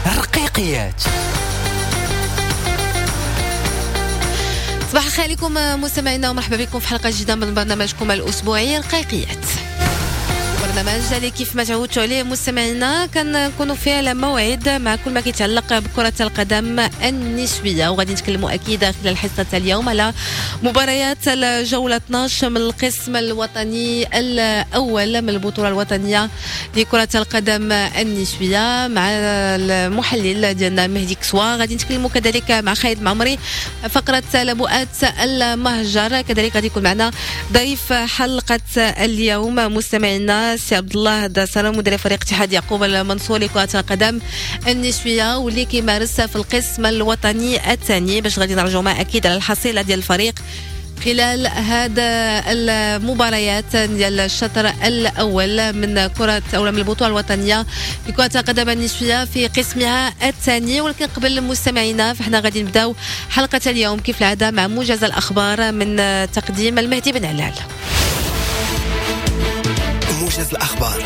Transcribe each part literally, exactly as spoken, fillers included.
رقيقيات. صباح الخير عليكم مستمعينا ومرحبا بكم في حلقة جديدة من برنامجكم الأسبوعي رقيقيات. برنامج اللي كيف ما تعودتوا عليه مستمعينا كنكونوا فيه على موعد مع كل ما كيتعلق بكرة القدم النسوية، وغادي نتكلموا أكيد خلال حصة اليوم على مباريات الجولة اثنا عشر من القسم الوطني الأول من البطولة الوطنية لكرة القدم النسوية مع المحلل ديالنا مهدي كسوا. غادي نتكلموا كذلك مع خالد معمري فقرة لبؤات المهجر، كذلك غادي يكون معنا ضيف حلقة اليوم مستمعينا سي عبد الله داسرة مدير فريق اتحاد يعقوب المنصور لكرة القدم النسوية واللي كيمارس في القسم الوطني الثاني، باش غادي نرجعوا معاه اكيد على الحصيلة ديال الفريق خلال هذا المباريات ديال الشطر الاول من كرة او من البطولة الوطنية لكرة القدم النسوية في قسمها الثاني. ولكن قبل مستمعينا فاحنا غادي نبداو حلقة اليوم كيف العادة مع موجز الأخبار من تقديم المهدي بن علال. موجز الأخبار.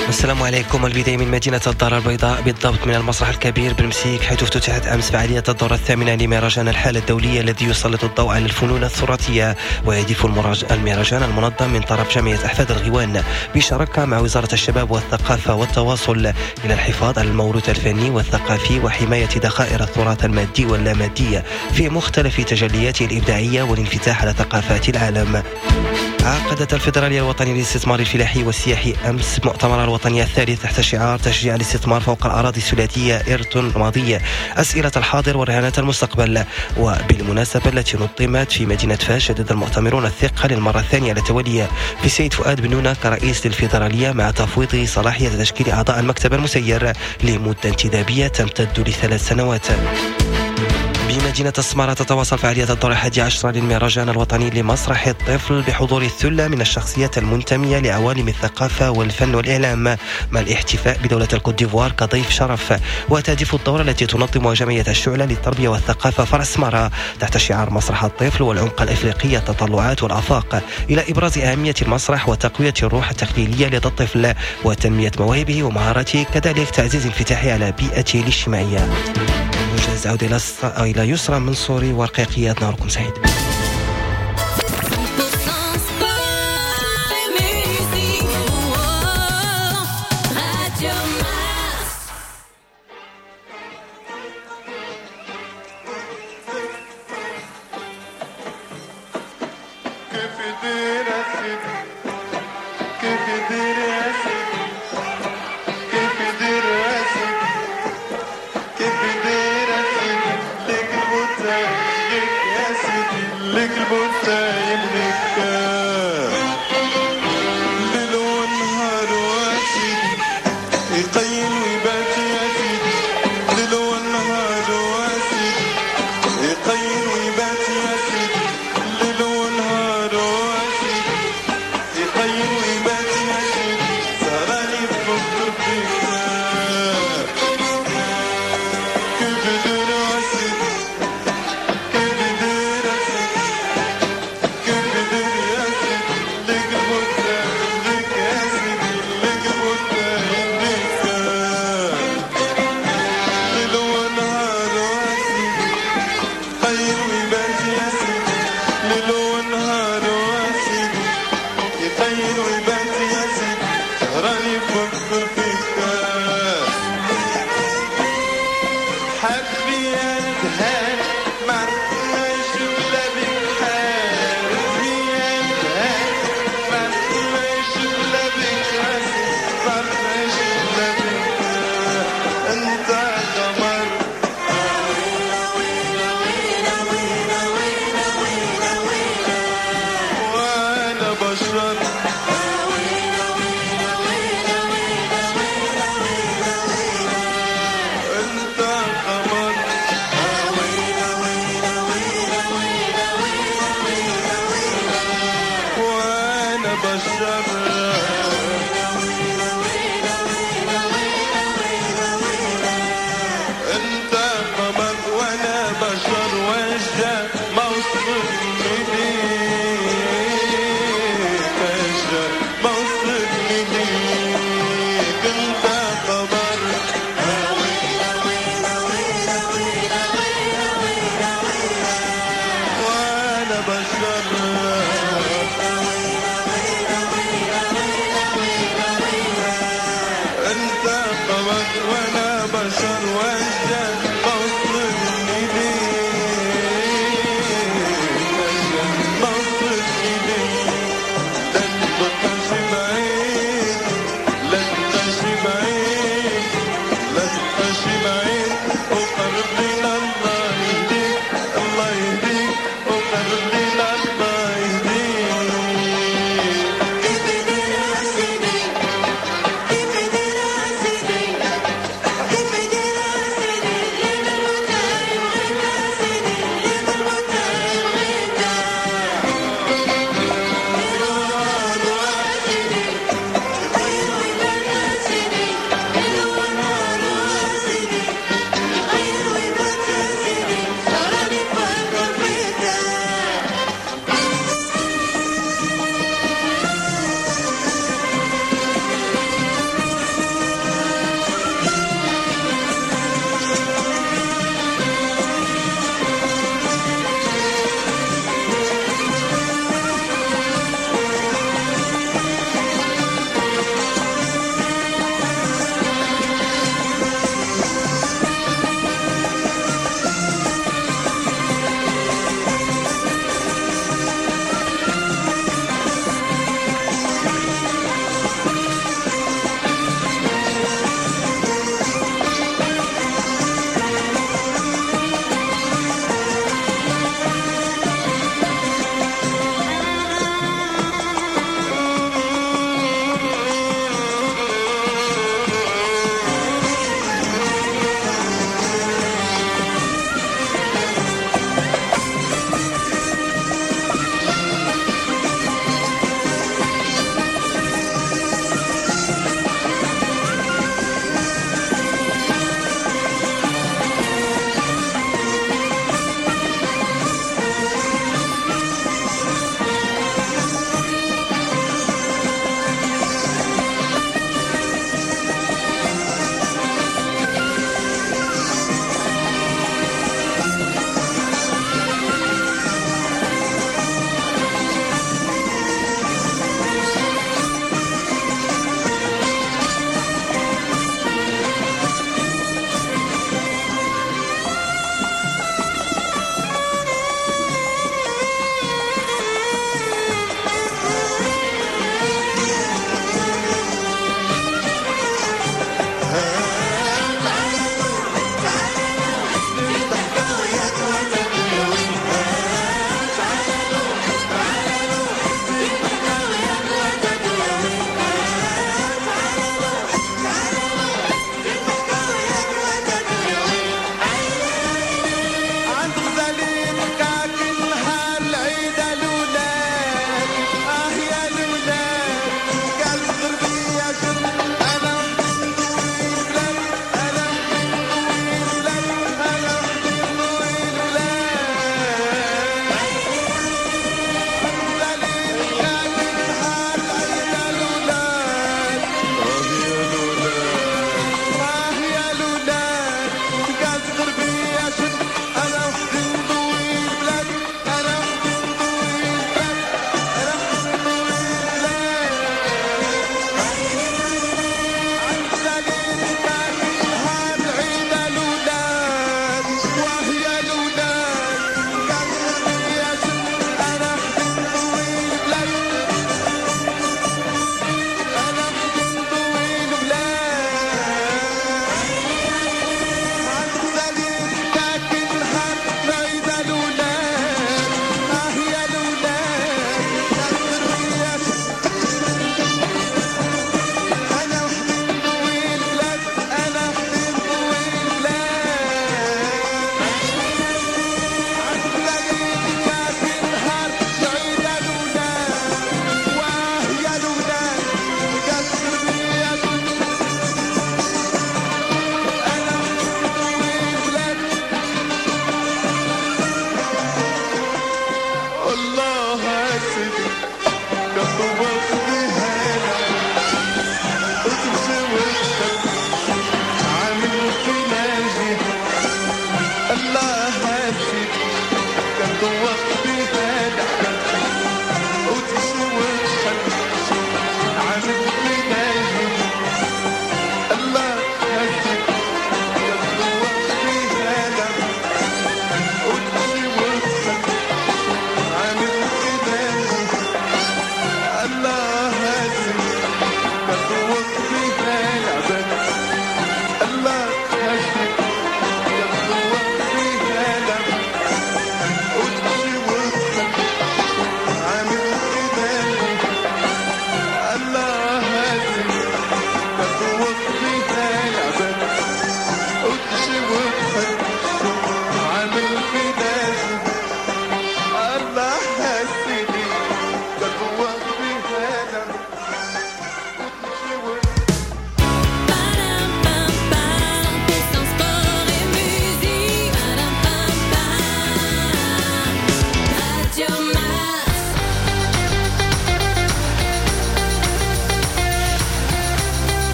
السلام عليكم. البداية من مدينة الدار البيضاء بالضبط من المسرح الكبير بالمسيك، حيث افتتحت أمس فعالية الدورة الثامنة لمهرجان الحالة الدولية الذي يسلط الضوء على الفنون التراثية، ويهدف المهرجان المنظم من طرف جمعية أحفاد الغيوان بشراكة مع وزارة الشباب والثقافة والتواصل إلى الحفاظ على الموروث الفني والثقافي وحماية ذخائر التراث المادي واللامادي في مختلف تجلياته الإبداعية والانفتاح على ثقافات العالم. عقدت الفيدرالية الوطنية للاستثمار الفلاحي والسياحي أمس مؤتمرها الوطني الثالث تحت شعار تشجيع الاستثمار فوق الأراضي الثلاثية إرث ماضي أسئلة الحاضر ورهانات المستقبل. وبالمناسبة التي نظمت في مدينة فاس، شدد المؤتمرون الثقة للمرة الثانية على تولي في السيد فؤاد بنونة كرئيس للفيدرالية مع تفويض صلاحية تشكيل أعضاء المكتب المسير لمدة انتدابية تمتد لثلاث سنوات. بمدينة السمارة تتواصل فعالية الدورة الحادية عشرة للمهرجان الوطني لمسرح الطفل بحضور الثلة من الشخصيات المنتمية لعوالم الثقافة والفن والإعلام مع الاحتفاء بدولة الكوت ديفوار كضيف شرف. وتهدف الدورة التي تنظمها جمعية الشعلة للتربية والثقافة فرع السمارة تحت شعار مسرح الطفل والعمق الإفريقي التطلعات والآفاق إلى إبراز أهمية المسرح وتقوية الروح التخيلية لدى الطفل وتنمية مواهبه ومهاراته، كذلك تعزيز انفتاحه على بيئته الاجتماعية. موجز عودة إلى يسرى منصوري ورقيقيات. نهاركم سعيد. Yes, وانا بشر وانت ما وصلتني ليه، ما وصلتني ليه. لا تبقاش بعيد، لا تبقاش بعيد، لا تبقاش بعيد، وقرب لينا الله يهديك، الله يهديك، وقرب لينا الله يهديك. كيف داير سيدي، كيف داير سيدي، كيف داير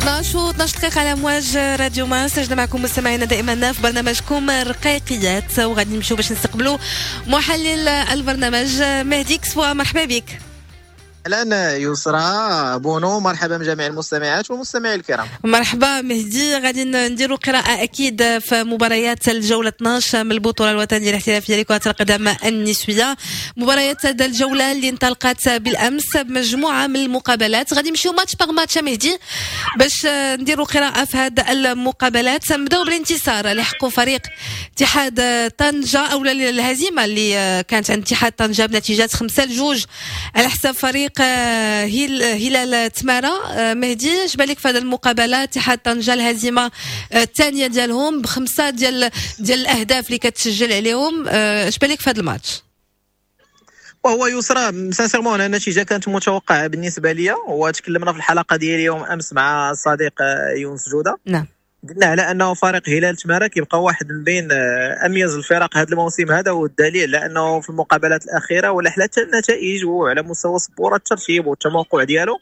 اثنا عشر و اثنا عشر دقيقة على أمواج راديو مارس. سجلنا معكم مستمعينا دائما في برنامجكم رقيقيات، وغادي نمشيو باش نستقبلوا محلل البرنامج مهدي كسوة. مرحبا بك. اهلا يسرى بونو، مرحبا بجميع المستمعات والمستمعين الكرام. مرحبا مهدي، غادي نديروا قراءة أكيد في مباريات الجولة اثنا عشر من البطولة الوطنية الاحترافية لكرة القدم النسوية. مباريات هذه الجولة اللي انطلقت بالأمس بمجموعة من المقابلات، غادي نمشيو match par match مهدي باش نديروا قراءة في هذه المقابلات. نبداو بالانتصار اللي حققوا فريق اتحاد طنجة، أو الهزيمة اللي كانت عند اتحاد طنجة بنتيجة خمسة لجوج على حساب فريق هلال تمارا. مهدي، اش بالك في هذه المقابله؟ اتحاد طنجه الهزيمة الثانية ديالهم بخمسة ديال ديال الاهداف اللي كتسجل عليهم، اش بالك في هذا الماتش؟ وهو يسرى، sincèrement النتيجة كانت متوقعه بالنسبة لي، وتكلمنا في الحلقة ديال اليوم امس مع الصديق يونس جوده. نعم قلنا على انه فريق هلال تمارا كيبقى واحد من بين اميز الفرق هذا الموسم هذا، والدليل لانه في المقابلات الاخيرة ولا حتى النتائج وعلى مستوى سبورة الترتيب والتموقع ديالو،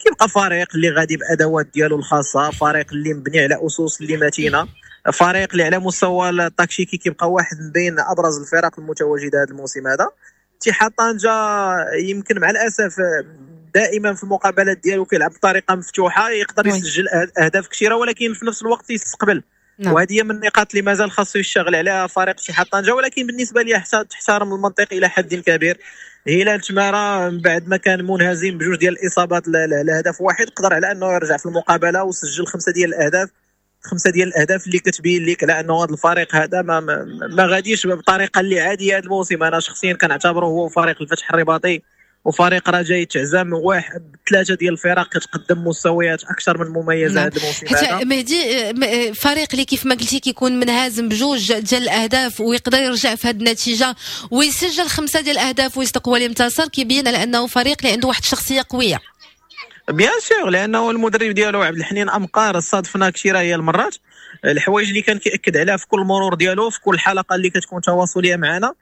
كيبقى فريق اللي غادي بادوات ديالو الخاصه، فريق اللي مبني على اسس اللي متينه، فريق اللي على مستوى التكتيكي كيبقى واحد من بين ابرز الفرق المتواجدة هذا الموسم هذا. اتحاد طنجه يمكن مع الاسف دائما في المقابلات ديالو كيلعب بطريقة مفتوحه، يقدر يسجل اهداف كثيرة ولكن في نفس الوقت يستقبل. نعم. وهذه هي من النقاط اللي مازال خاصو يشتغل عليها فريق اتحاد طنجه، ولكن بالنسبة لي تحترم المنطق الى حد كبير. هلال تمارا من بعد ما كان منهزم بجوج ديال الاصابات لهدف واحد، قدر على انه يرجع في المقابلة وسجل خمسة ديال الاهداف، خمسة ديال الاهداف اللي كتبين لك على انه هذا الفريق هذا ما ما, ما غاديش بطريقة اللي عادية هذا الموسم. انا شخصيا كنعتبره هو فريق الفتح الرباطي وفريق رجاء تعزم واحد ثلاثة ديال الفرق كتقدم مستويات اكثر من مميزة. نعم. هذا الموسم هذا مهدي، فريق اللي كيف ما قلتي كيكون منهزم بجوج ديال الاهداف ويقدر يرجع في هذه النتيجة ويسجل خمسة ديال الاهداف ويصدق هو اللي انتصر، كيبين على انه فريق اللي عنده واحد الشخصية قويه. bien sûr، لانه المدرب ديالو عبد الحنين امقار صادفنا كثيرة هي المرات، الحوايج اللي كان كياكد عليها في كل مرور ديالو، في كل حلقة اللي كتكون تواصليه معنا،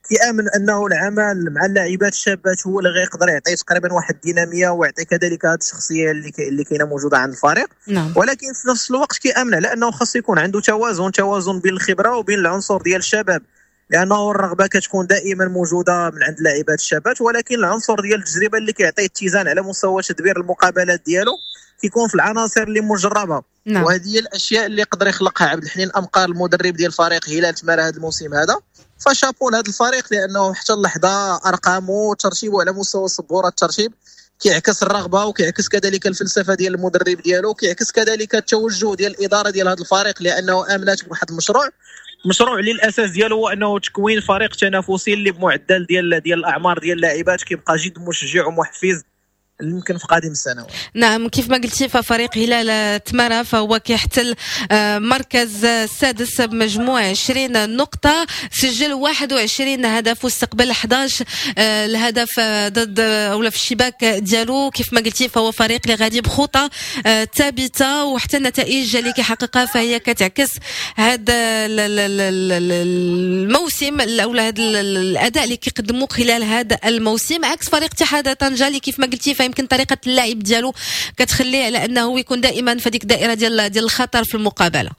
كيامن انه العمل مع اللاعبات الشابات هو اللي غيقدر يعطي تقريبا واحد الديناميه ويعطي كذلك هذه الشخصية اللي كي اللي كاينه موجودة عند الفريق. نعم. ولكن في نفس الوقت كيامن على انه خاص يكون عنده توازن، توازن بين الخبرة وبين العنصر ديال الشباب، لانه الرغبة كتكون دائما موجودة من عند اللاعبات الشابات، ولكن العنصر ديال التجربة اللي كيعطي اتزان على مستوى تدبير المقابلات ديالو كيكون في العناصر اللي مجربه. نعم. وهذه هي الاشياء اللي يقدر يخلقها عبد الحنين امقار المدرب ديال فريق هلال تمارا هذا الموسم هذا. فشابو لهذا الفريق، لانه حتى اللحظة ارقامه وترتيبه على مستوى سبورة الترتيب كيعكس الرغبة وكيعكس كذلك الفلسفة ديال المدرب ديالو، وكيعكس كذلك التوجه ديال الادارة ديال هذا الفريق، لانه امنت بواحد المشروع، مشروع اللي الاساس ديالو هو انه تكوين فريق تنافسي اللي بمعدل ديال ديال الاعمار ديال اللاعبات كيبقى جد مشجع ومحفز يمكن في قادم السنوات. نعم، كيف ما قلتي ففريق هلال تمارا فهو كيحتل آه، مركز السادس بمجموع عشرين نقطة، سجل واحد وعشرين هدف واستقبل أحد عشر آه، الهدف ضد او في الشباك ديالو. كيف ما قلتي فهو فريق اللي غادي بخطى آه، ثابتة، وحتى النتائج اللي كيحققها فهي كتعكس هذا الموسم او هذا الاداء اللي كيقدموه خلال هذا الموسم، عكس فريق اتحاد طنجة اللي كيف ما قلتي فيمكن طريقه اللعب ديالو كتخليه على انه يكون دائما في ديك الدائرة ديال ديال الخطر في المقابله.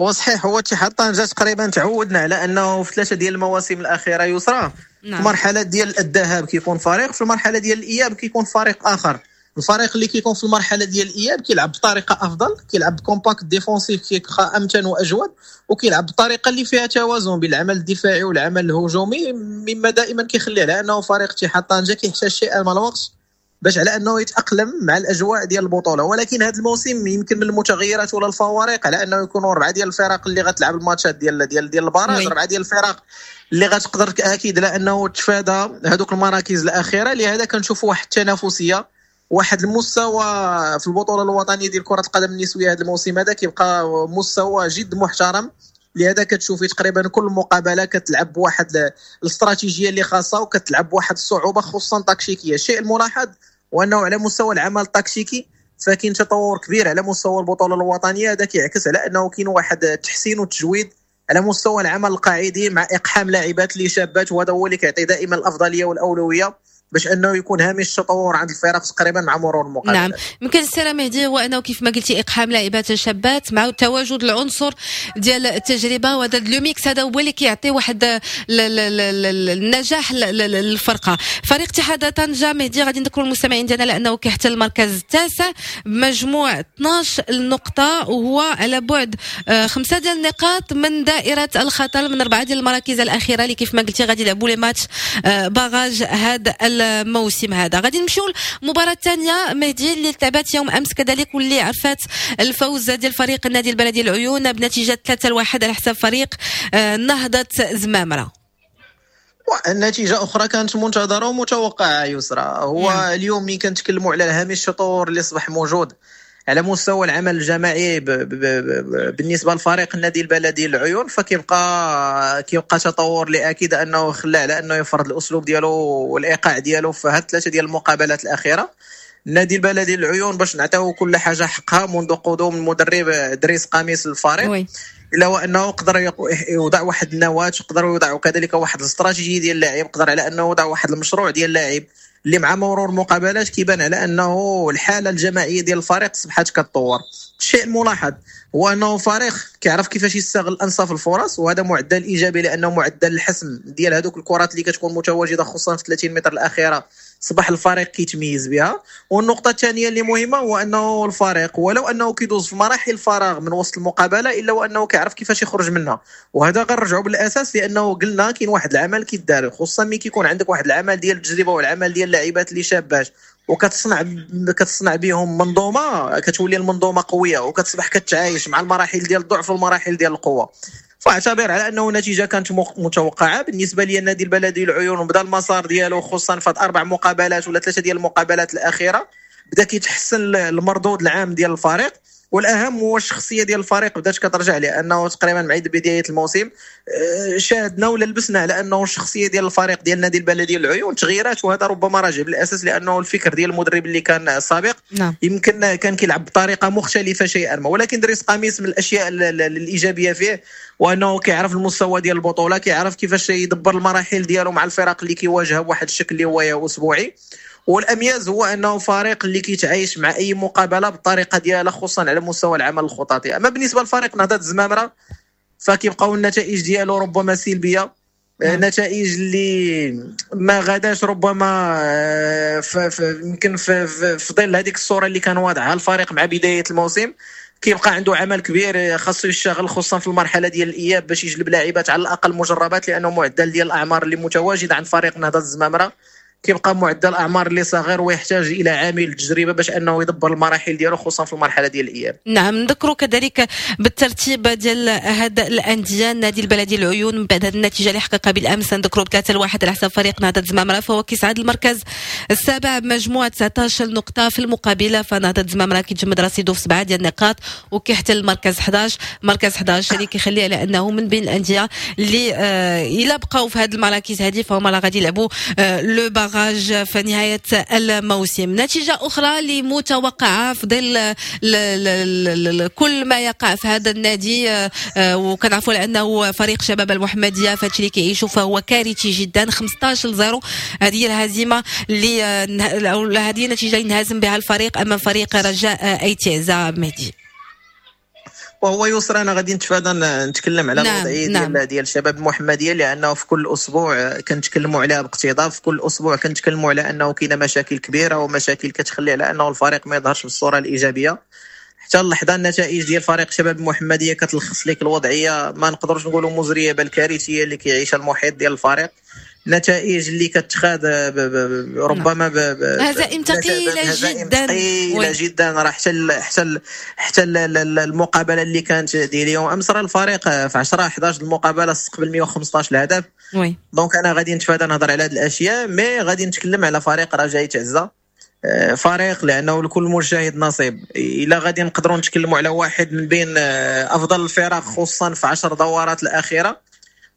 هو صحيح، هو اتحاد طنجة تقريبا تعودنا على انه في ثلاثة ديال المواسم الاخيرة يسرى، نعم. في المرحلة ديال الذهاب كيكون فريق، في المرحلة ديال الاياب كيكون فريق اخر. الفريق اللي كيكون في المرحلة ديال الاياب كيلعب بطريقة افضل، كيلعب compact défensif، كيبقى امتن واجود، وكيلعب بطريقة اللي فيها توازن بين العمل الدفاعي والعمل الهجومي، مما دائما كيخلي على انه فريق اتحاد طنجه كيحتاج شيئا من الوقت باش على انه يتاقلم مع الاجواء ديال البطوله. ولكن هذا الموسم يمكن من المتغيرات ولا الفوارق على انه يكونوا اربعة ديال الفرق اللي غتلعب الماتشات ديال ديال ديال ال barrage، oui. اربعة ديال الفرق اللي غتقدر اكيد على انه تفادى هذوك المراكز الاخيره. لهذا كنشوفوا واحد التنافسيه، واحد المستوى في البطولة الوطنية ديال كره القدم النسوية هذا الموسم هذا كيبقى مستوى جد محترم. لهذا كتشوفي تقريبا كل مقابله كتلعب بواحد الاستراتيجية اللي خاصة وكتلعب بواحد الصعوبة خصوصا تكتيكيه. الشيء الملاحظ هو انه على مستوى العمل التكتيكي فكاين تطور كبير على مستوى البطولة الوطنيه. هذا كيعكس على انه كاين واحد التحسين والتجويد على مستوى العمل القاعدي مع اقحام لاعبات اللي شابات، وهذا هو اللي كيعطي دائما الافضلية والاولويه. باش انه يكون هامش التطور عند الفرق تقريبا مع مرور المقابلات. نعم، يمكن السي مهدي هو انه كيف ما قلتي اقحام لاعبات شابات مع تواجد العنصر ديال التجربة، وهذا le mix هذا هو اللي كيعطي واحد النجاح للفرقة. فريق اتحاد طنجه مهدي غادي نذكروا المستمعين ديالنا لانه كيحتل المركز التاسع بمجموع اثناش نقطة، وهو على بعد خمسة ديال النقاط من دائرة الخطر من اربعة ديال المراكز الاخيرة اللي كيف ما قلتي غادي يلعبوا les matchs barrage هذا الموسم هذا. غادي نمشيو للمباراة الثانية مهدي اللي لعبات يوم امس كذلك، واللي عرفات الفوز ديال فريق النادي البلدي العيون بنتيجة ثلاثة لواحد على حساب فريق نهضة زمامرة. النتيجة اخرى كانت منتظره ومتوقعه يسرى. هو نعم. اليوم ملي كنتكلموا على هامش التطور اللي اصبح موجود على مستوى العمل الجماعي ب ب ب بالنسبة لفريق النادي البلدي العيون، فكيبقى كيبقى تطور اللي اكيد انه خلى على انه يفرض الاسلوب ديالو والايقاع ديالو في هاد ثلاثة ديال المقابلات الاخيرة. النادي البلدي العيون باش نعطيو كل حاجة حقها منذ قدوم المدرب دريس قميص الفريق، الا وانه قدر يوضع واحد النواة، قدر يوضع كذلك واحد الاستراتيجية ديال اللاعب، قدر على انه يوضع واحد المشروع ديال اللاعب اللي مع مرور المقابلات كيبان على انه الحالة الجماعية ديال الفريق اصبحت كتطور. الشيء الملاحظ هو انه فريق كيعرف كيفاش يستغل انصاف الفرص، وهذا معدل ايجابي لانه معدل الحسم ديال هذوك الكرات اللي كتكون متواجدة خصوصا في ثلاثين متر الاخيرة صبح الفريق كيتميز بها. والنقطة الثانية اللي مهمة هو انه الفريق ولو انه كيدوز في مراحل فراغ من وسط المقابلة الا وانه كيعرف كيفاش يخرج منها، وهذا غنرجعوا بالاساس لانه قلنا كاين واحد العمل كيدار، خصوصا ملي كيكون عندك واحد العمل ديال التجربة والعمل ديال اللاعبات اللي شابات وكتصنع كتصنع بهم منظومة، كتولي المنظومة قوية وكتصبح كتعايش مع المراحل ديال الضعف والمراحل ديال القوة. فاعتبر على انه نتيجة كانت متوقعه بالنسبة لي. النادي البلدي العيون بدا المسار ديالو خصوصا في اربع مقابلات ولا ثلاثة ديال المقابلات الاخيرة، بدا كيتحسن المردود العام ديال الفريق، والاهم هو الشخصية ديال الفريق بدات كترجع، لانه تقريبا مع بداية الموسم شاهدنا ولا لبسنا على انه الشخصية ديال الفريق ديال النادي البلدي العيون تغيرات، وهذا ربما راجع بالاساس لانه الفكر ديال المدرب اللي كان سابق نعم. يمكن كان كيلعب بطريقة مختلفة شيئا ما، ولكن دريس قميص من الاشياء الايجابية فيه وانه كيعرف المستوى ديال البطولة، كيعرف كيفاش يدبر المراحل ديالو مع الفرق اللي كيواجهها بواحد الشكل اللي هو اسبوعي. والامياز هو انه فريق اللي كيتعايش مع اي مقابله بالطريقة ديالها خصوصا على مستوى العمل الخططي. اما بالنسبة لفريق نهضة الزمامره فكيبقاو النتائج ديالو ربما سلبية، نتائج اللي ما غاداش ربما يمكن في, في ظل هذيك الصورة اللي كان واضعها الفريق مع بداية الموسم. كيبقى عنده عمل كبير خاصو يشتغل خصوصا في المرحلة ديال الاياب باش يجلب لاعبات على الاقل مجربات، لانه معدل ديال الاعمار اللي متواجد عند فريق نهضة الزمامره كيبقى معدل اعمار اللي صغير ويحتاج الى عامل التجربة باش انه يدبر المراحل ديالو خصوصا في المرحلة ديال الاياب. نعم، نذكروا كذلك بالترتيب ديال هذا الاندية. النادي البلدي العيون من بعد هذه النتيجة اللي حققها بالامس نذكروا بثلاثة لواحد على حساب فريق نهضة الزمامره، فهو كيصعد المركز السابع بمجموعه تسعطاش نقطة. في المقابلة فنهضه الزمامره كيتجمد رصيده في سبعة ديال النقاط وكيحتل المركز أحد عشر، مركز أحد عشر اللي كيخليه على انه من بين الاندية اللي آه الا بقاو في هذه المراكز هذه فهم راه غادي يلعبوا آه le barrage في نهاية الموسم. نتيجة أخرى اللي متوقعة في ظل كل ما يقع في هذا النادي، وكنعرفوا لأنه فريق شباب المحمدية فهادشي اللي كيعيشوا فهو كارثي جدا، خمسطاش لصفر هذه هي الهزيمة اللي هذه النتيجة اللي انهزم بها الفريق أمام فريق رجاء أيتيزا مهدي. وهو يسرى انا غادي نتفادى نتكلم على الوضعية نعم. ديال ديال الشباب المحمدية، لانه في كل اسبوع كنتكلموا عليها باقتضاب، في كل اسبوع كنتكلموا على انه كاينه مشاكل كبيرة ومشاكل كتخلي على انه الفريق ما يظهرش بالصورة الايجابية. حتى اللحظة النتائج ديال فريق شباب المحمدية كتلخص لك الوضعية، ما نقدروش نقولوا مزرية بل كارثية اللي كيعيشها المحيط ديال الفريق. نتائج اللي كتخاد ربما هزائم ثقيلة جدا ثقيلة جدا. راه حتى حتى حتى المقابلة اللي كانت ديال اليوم امس راه الفريق في عشرة أحد عشر المقابلة استقبل مية وخمسطاش الهدف. oui donc انا غادي نتفادى نهضر على هذه الاشياء، mais غادي نتكلم على فريق رجاء تعزه، فريق لانه لكل مجتهد نصيب. الا غادي نقدروا نتكلموا على واحد من بين افضل الفرق خصوصا في عشر دورات الاخيرة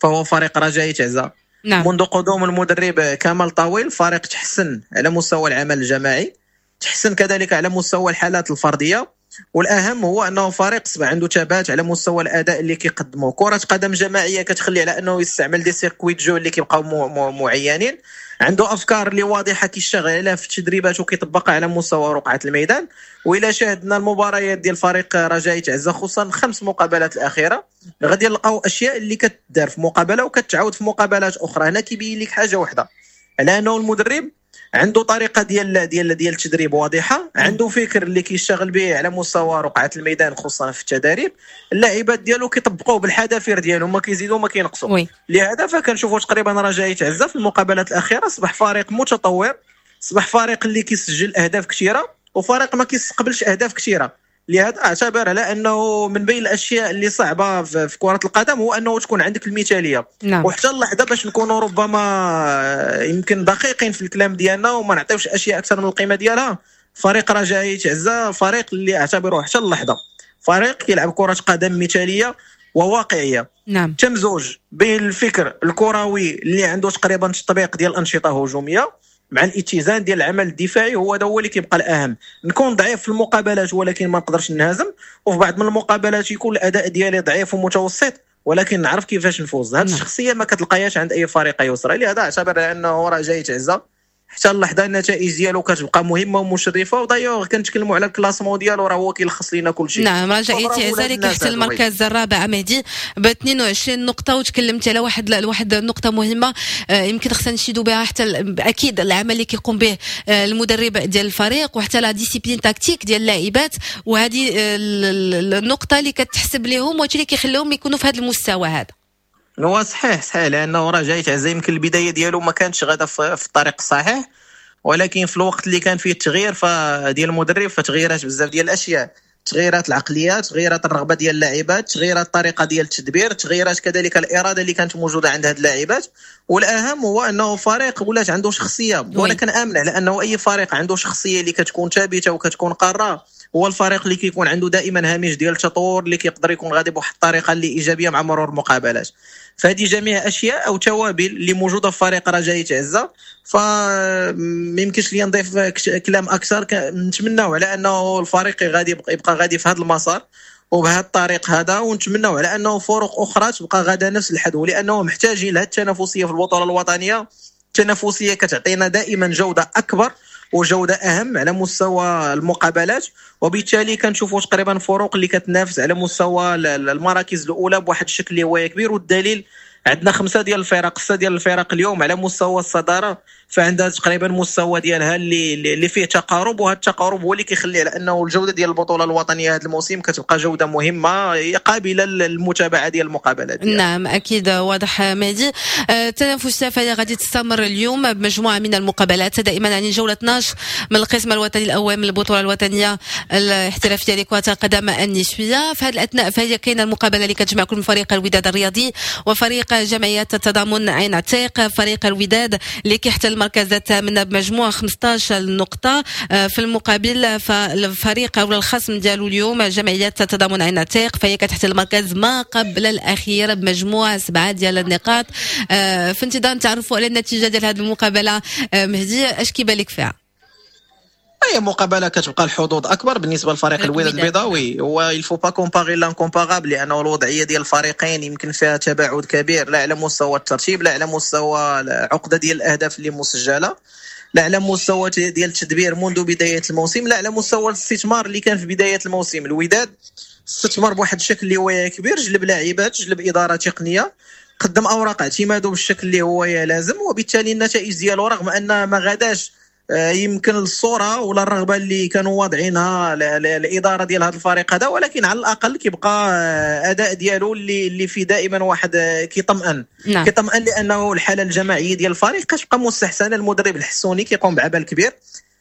فهو فريق رجاء تعزه. نعم. منذ قدوم المدرب كمال طويل فريق تحسن على مستوى العمل الجماعي، تحسن كذلك على مستوى الحالات الفردية، والاهم هو انه فريق صبح عنده ثبات على مستوى الاداء اللي كيقدمه. كره قدم جماعية كتخلي على انه يستعمل des circuits de jeu اللي كيبقاو معينين، عنده افكار اللي واضحة كيشتغل عليها في التدريبات وكيطبقها على مستوى رقعه الميدان. والى شاهدنا المباريات ديال فريق رجاء تعزه خصوصا خمس مقابلات الاخيرة غادي نلقاو اشياء اللي كتدار في مقابله وكتعاود في مقابلات اخرى. هنا كيبين لك حاجة واحدة، على انه المدرب عنده طريقه ديال ديال ديال التدريب واضحة، عنده فكر اللي كيشتغل به على مستوى رقعه الميدان خصوصا في التدريب، اللاعبات ديالو كيطبقوه بالحذافير ديالهم، ما كيزيدوا ما كينقصوا. لهذا فكنشوفوا تقريبا رجاء تعزه في المقابلات الاخيرة اصبح فريق متطور، اصبح فريق اللي كيسجل اهداف كثيرة وفريق ما كيستقبلش اهداف كثيرة. لهذا اعتبر على انه من بين الاشياء اللي صعبة في كره القدم هو انه تكون عندك المثالية. نعم. وحتى اللحظة باش نكونوا ربما يمكن دقيقين في الكلام ديالنا وما نعطيوش اشياء اكثر من القيمة ديالها، فريق رجاء تعزه فريق اللي اعتبره حتى اللحظة فريق كيلعب كره قدم مثاليه وواقعيه. نعم. تمزج بين الفكر الكروي اللي عنده تقريبا تطبيق ديال الانشطة هجومية مع الاتزان ديال العمل الدفاعي، هو هذا هو اللي كيبقى الاهم. نكون ضعيف في المقابلات ولكن ما نقدرش نهزم، وفي بعض من المقابلات يكون الاداء ديالي ضعيف ومتوسط ولكن نعرف كيفاش نفوز. هذه الشخصية ما كتلقاهاش عند اي فريق يسرى. لهذا اعتبر انه رجاء تعزه حتى اللحظة النتائج ديالو كتبقى مهمة ومشرفه. ودايوغ كنتكلموا على ال classement ديالو راه هو كيلخص لينا كل شيء. نعم، رجاء تعزه اللي كيحتل المركز الرابع مهدي ب اثنين وعشرين نقطة. وتكلمت على واحد واحد النقطة مهمة يمكن خصنا نشيدوا بها حتى اكيد العمل اللي كيقوم به المدرب ديال الفريق وحتى la discipline tactique ديال اللاعبات، وهذه النقطة اللي كتحسب لهم وهادشي اللي كيخليهم يكونوا في هذا المستوى هذا. هو صحيح صحيح لانه رجاء تعزه يمكن البداية ديالو ما كانتش غادا في الطريق الصحيح، ولكن في الوقت اللي كان فيه التغيير ديال المدرب فتغيرات بزاف ديال الاشياء، تغيرات العقليات، تغيرات الرغبة ديال اللاعبات، تغيرات الطريقة ديال التدبير، تغيرات كذلك الارادة اللي كانت موجودة عند هاد اللاعبات. والاهم هو انه فريق ولات عنده شخصية، وانا كنامن على انه اي فريق عنده شخصية اللي كتكون ثابتة وكتكون قارة هو الفريق اللي كيكون عنده دائما هامش ديال التطور اللي كيقدر يكون غادي بواحد الطريقة اللي ايجابية مع مرور المقابلات. فهذه جميع اشياء او توابل اللي موجودة في فريق رجاء تعزه، فما يمكنش لي نضيف كلام اكثر. نتمناو على انه الفريق غادي يبقى غادي في هذا المسار وبهذا الطريق هذا، ونتمناو على انه فرق اخرى تبقى غادا نفس الحدو، لانه محتاجين لهذه التنافسية في البطولة الوطنية. التنافسية كتعطينا دائما جوده اكبر وجوده اهم على مستوى المقابلات، وبالتالي كنشوفوا تقريبا فروق اللي كتنافس على مستوى المراكز الاولى بواحد الشكل اللي هو كبير. والدليل عندنا خمسة ديال الفرق، ستة ديال الفرق اليوم على مستوى الصدارة، فعندها تقريبا مستوى ديالها اللي اللي فيه تقارب، وهذا التقارب هو اللي كيخلي على انه الجودة ديال البطولة الوطنية هذا الموسم كتبقى جوده مهمة قابله للمتابعة ديال المقابلات ديالها. نعم اكيد واضح مهدي. التنافس فهي غادي تستمر اليوم بمجموعه من المقابلات دائما عن جولة اثناش من القسم الوطني الاول من البطولة الوطنية الاحترافية لكرة القدم النسوية. في هذه الاثناء فهي كاينه المقابلة اللي كتجمع كل فريق الوداد الرياضي وفريق جمعية التضامن عين عتيق. فريق الوداد اللي كيحتل المركز الثامن بمجموع خمسطاش نقطة، في المقابل فالفريق أو الخصم ديالو اليوم جمعية التضامن عين عتيق فهي كتحتل المركز ما قبل الأخير بمجموع سبعة ديال النقاط. في انتظار نتعرفوا على النتيجة ديال هذه المقابلة، مهدي اش كيبان لك فيها؟ هي مقابله كتبقى الحظوظ اكبر بالنسبة لفريق الوداد البيضاوي. هو il faut pas comparer l'incomparable، لانه الوضعية ديال الفريقين يمكن فيها تباعد كبير، لا على مستوى الترتيب، لا على مستوى العقدة ديال الاهداف اللي مسجله، لا على مستوى ديال التدبير منذ بداية الموسم، لا على مستوى الاستثمار اللي كان في بداية الموسم. الوداد استثمر بواحد الشكل اللي هو كبير، جلب لاعبات، جلب ادارة تقنية، قدم اوراق اعتماده بالشكل اللي هو لازم، وبالتالي النتائج ديالو رغم ان ما غاداش يمكن الصورة ولا الرغبة اللي كانوا واضعينها الادارة ديال هذا الفريق هذا، ولكن على الاقل كيبقى اداء ديالو اللي اللي فيه دائما واحد كيطمئن. نعم. كيطمئن لانه الحالة الجماعية ديال الفريق كتبقى مستحسنه. المدرب الحسوني كيقوم بعمل كبير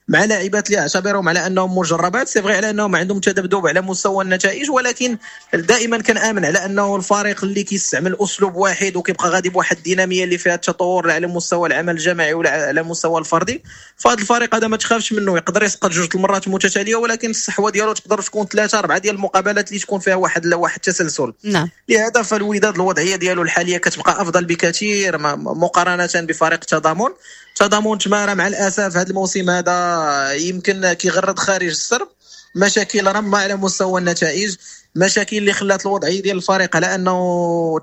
مع لاعبات اللي اعتبرهم على انهم مجربات، c'est vrai على انهم عندهم تذبذب على مستوى النتائج، ولكن دائما كنامن على انه الفريق اللي كيستعمل اسلوب واحد وكيبقى غادي بواحد الديناميه اللي فيها التطور على مستوى العمل الجماعي ولا على مستوى الفردي، فهذا الفريق هذا ما تخافش منه، يقدر يسقط جوج المرات متتالية ولكن الصحوة ديالو تقدر تكون ثلاثة اربعة ديال المقابلات اللي تكون فيها واحد واحد التسلسل. نعم. لهذا فالوداد الوضعية ديالو الحالية كتبقى افضل بكثير مقارنة بفريق التضامن. تضامن تمارا مع الاسف هذا الموسم هذا يمكن كيغرد خارج السرب، مشاكل رمى على مستوى النتائج، مشاكل اللي خلات الوضعية ديال الفريق على انه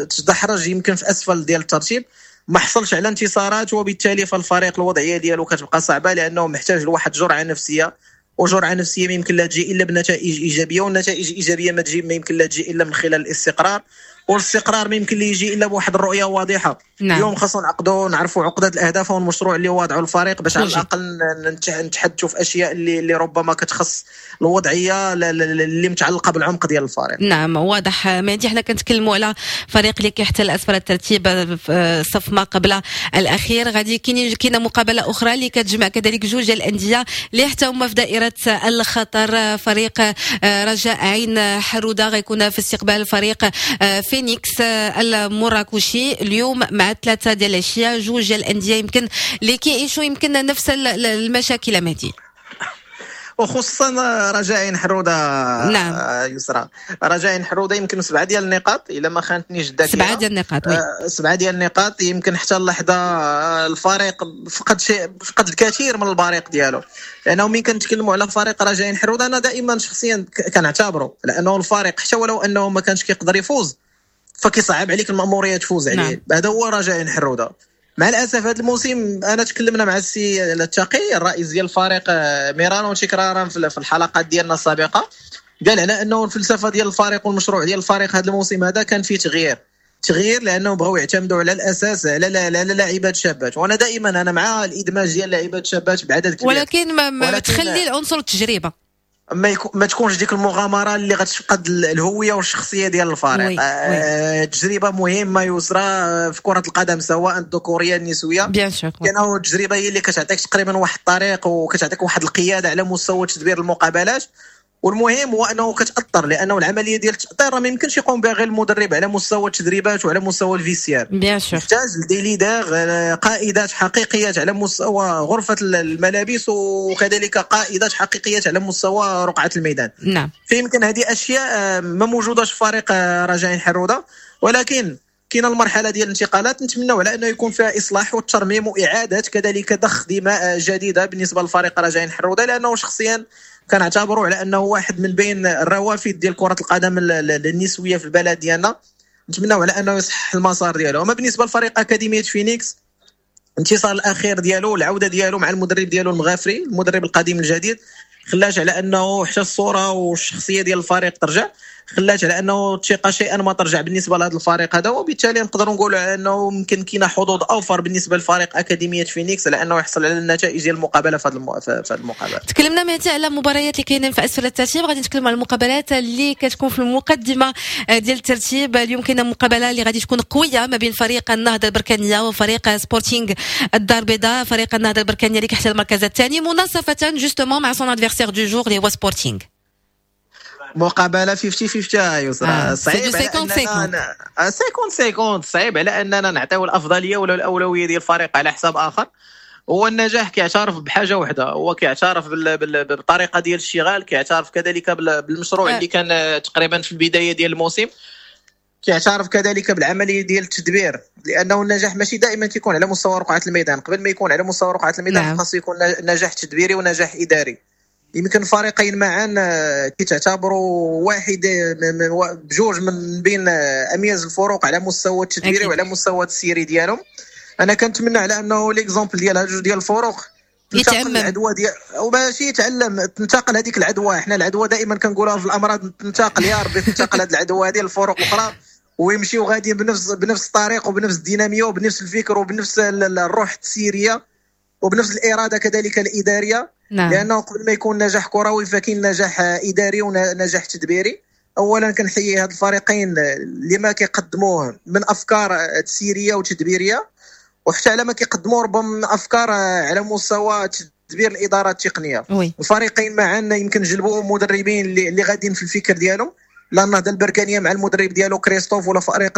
تدحرج يمكن في اسفل ديال الترتيب، ما حصلش على انتصارات، وبالتالي فالفريق الوضعية ديالو كتبقى صعبة لانه محتاج لواحد جرعة نفسية، وجرعه نفسية ما يمكن لا تجي الا بنتائج ايجابية، والنتائج الايجابية ما تجي ما يمكن لا تجي الا من خلال الاستقرار، والاستقرار ما يمكن لي يجي الا بواحد الرؤية واضحة. نعم. اليوم خاصنا نعقدوا نعرفوا عقده الاهداف والمشروع اللي واضعه الفريق باش على الاقل نتحدثوا في اشياء اللي اللي ربما كتخص الوضعية اللي متعلقه بالعمق ديال الفريق. نعم واضح مهدي، حنا كنتكلموا على فريق اللي كيحتل اسفل الترتيب صف ما قبل الاخير. غادي كاين كاينه مقابله اخرى اللي كتجمع كذلك جوج ديال الاندية اللي حتى هما في دائرة الخطر. فريق رجاء عين حروده غيكون في استقبال فريق فينيكس المراكشي اليوم مع ثلاثة ديال العشية. جوج ديال الاندية يمكن اللي كيعيشوا يمكن نفس المشاكل مهدي، وخصوصا رجاء عين حروده. نعم. يسرى، رجاء عين حروده يمكن سبعة ديال النقاط الا ما خانتنيش الذاكرة، سبعة ديال النقاط oui. سبعة ديال النقاط يمكن حتى اللحظة الفريق فقد شيء، فقد الكثير من البريق ديالو. لانه مين كنتكلموا على فريق رجاء عين حروده انا دائما شخصيا كنعتبره لانه الفريق حتى ولو انه ما كانش كيقدر يفوز فكيصعب عليك المأمورية تفوز عليه. نعم. هذا هو رجاء عين حروده. مع الاسف هذا الموسم انا تكلمنا مع السي التقي الرئيس ديال الفريق ميران وتكرارا في الحلقات ديالنا السابقة، قال على انه الفلسفة ديال الفريق والمشروع ديال الفريق هذا الموسم هذا كان فيه تغيير تغيير لانه بغاو يعتمدوا على الاساس على على لاعبات شابات، وانا دائما انا مع الادماج ديال لاعبات شابات بعدد كبير، ولكن ما, ما ولكن تخلي العنصر التجربة، ما, يكو ما تكونش ديك المغامرة اللي غتفقد الهوية والشخصية ديال الفريق. آه تجربه مهمة يسرى في كره القدم سواء الذكورية النسوية، bien sûr، لانه التجربة هي اللي كتعطيك تقريبا واحد الطريق وكتعطيك واحد القيادة على مستوى تدبير المقابلات. والمهم هو انه كتاثر، لانه العملية ديال التاطير ما يمكنش يقوم بها غير المدرب على مستوى التدريبات وعلى مستوى ال vestiaire. bien sûr محتاج des leaders، قائدات حقيقيات على مستوى غرفة الملابس، وكذلك قائدات حقيقيات على مستوى رقعه الميدان. نعم. فيمكن هذه اشياء ما موجوداش في فريق رجاء حروده، ولكن كاين المرحلة ديال الانتقالات نتمنوا على انه يكون فيها اصلاح والترميم واعاده كذلك ضخ دماء جديدة بالنسبة لفريق رجاء حروده، لانه شخصيا كنعتبره على انه واحد من بين الروافد ديال كره القدم النسوية في البلد ديالنا. نتمنوا على انه يصحح المسار ديالو. اما بالنسبة لفريق اكاديمية فينيكس، الانتصار الاخير ديالو العودة ديالو مع المدرب ديالو المغافري المدرب القديم الجديد خلاش على انه حتى الصورة والشخصية ديال الفريق ترجع، خلاش على انه الثقة شيئا ما ترجع بالنسبة لهذا الفريق هذا، وبالتالي نقدروا نقولوا على انه يمكن كاينه حظوظ اوفر بالنسبة لفريق اكاديمية فينيكس على انه يحصل على النتائج ديال المقابلة في هذه المقابلة. تكلمنا مهدي على المباريات اللي كاينين في اسفل الترتيب، غادي نتكلموا على المقابلات اللي كتكون في المقدمة ديال الترتيب. اليوم كاينه مقابله اللي غادي تكون قوية ما بين فريق النهضة البركانيه وفريق سبورتينغ الدار البيضاء. فريق النهضة البركانيه اللي كيحتل المركز الثاني مناصفه justement مع son adversaire du jour اللي هو سبورتينغ. مقابله خمسين خمسين يسرى، آه. صعيب خمسين خمسين خمسين، صعيب على اننا نعطيو الافضلية ولا الاولوية ديال الفريق على حساب اخر. هو النجاح كيعترف بحاجة واحدة، هو كيعترف بالطريقة ديال الاشتغال، كيعترف كذلك بالمشروع آه. اللي كان تقريبا في البداية ديال الموسم، كيعترف كذلك بالعملية ديال التدبير، لانه النجاح ماشي دائما كيكون على مستوى رقعه الميدان. قبل ما يكون على مستوى رقعه الميدان نعم. خاص يكون نجاح تدبيري ونجاح اداري. يمكن فريقين معا كيتعتبروا واحد بجوج من بين اميز الفروق على مستوى التدبيري وعلى مستوى التسييري ديالهم. انا كنتمنى على انه l'exemple ديال هاد جوج ديال الفروق تنتقل العدوى ديال وماشي يتعلم تنتقل هذيك العدوى. حنا العدوى دائما كنقولوها في الامراض تنتقل، يا ربي تنتقل هذه العدوى هذه للفروق الاخرى ويمشيو غاديين بنفس بنفس الطريق وبنفس الديناميه وبنفس الفكر وبنفس الروح التسييريه وبنفس الارادة كذلك الادارية. نعم. لانه قبل ما يكون نجاح كروي فكاين نجاح اداري ونجاح تدبيري. اولا كنحيي هاد الفريقين لما كيقدموه من افكار تسييريه وتدبيريه، وحتى على ما كيقدموا ربما من افكار على مستوى تدبير الادارة التقنية. oui. الفريقين معا يمكن جلبوا مدربين اللي, اللي غاديين في الفكر ديالهم، لا النهضة البركانيه مع المدرب ديالو كريستوف، ولا فريق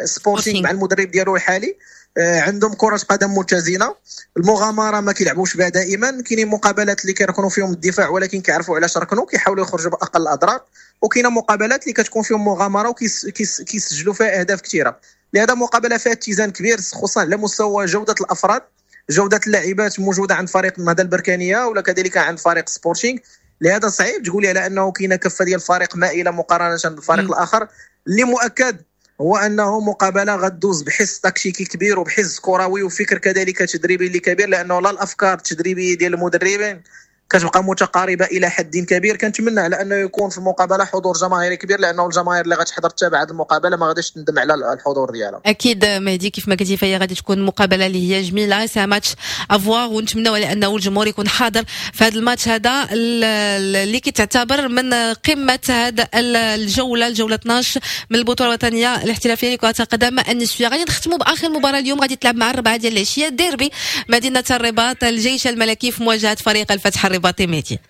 السبورتينغ مع المدرب ديالو الحالي. عندهم كرة قدم متزنة، المغامرة ما كيلعبوش بها دائما، كاينين مقابلات اللي كيركنوا فيهم الدفاع ولكن كيعرفوا علاش ركنوا، كيحاولوا يخرجوا باقل الاضرار، وكاينه مقابلات اللي كتكون فيهم مغامرة وكيسجلوا فيها اهداف كثيرة. لهذا مقابلة فيها اتزان كبير خصوصا على مستوى جودة الافراد. جوده اللاعبات موجودة عند فريق النهضة البركانيه ولا كذلك عند فريق سبورتينغ. لهذا صعيب تقولي على انه كاينه كفه ديال الفريق مائلة مقارنة بالفريق م. الاخر. اللي مؤكد هو انه مقابله غدوز بحس تكتيكي كبير وبحس كروي وفكر كذلك تدريبي اللي كبير، لانه لا الافكار التدريبية ديال المدربين كتبقى متقاربة الى حد كبير. كنتمنى على انه يكون في المقابلة حضور جماهيري كبير، لانه الجماهير اللي غتحضر تتابع هذه المقابلة ما غاديش تندم على الحضور ديالها. اكيد مهدي كيف ما قلتي فهي غادي تكون مقابله اللي هي جميلة، c'est un match à voir، ونتمنوا على انه الجمهور يكون حاضر في هذا الماتش هذا اللي كتعتبر من قمة هذا الجولة، الجولة اثناش من البطولة الوطنية الاحترافية لكرة القدم النسوية. غادي نختموا باخر مباراة اليوم غادي تلعب مع الربعه ديال العشية، ديربي مدينة الرباط، الجيش الملكي في مواجهة فريق الفتح الرباطي. مهدي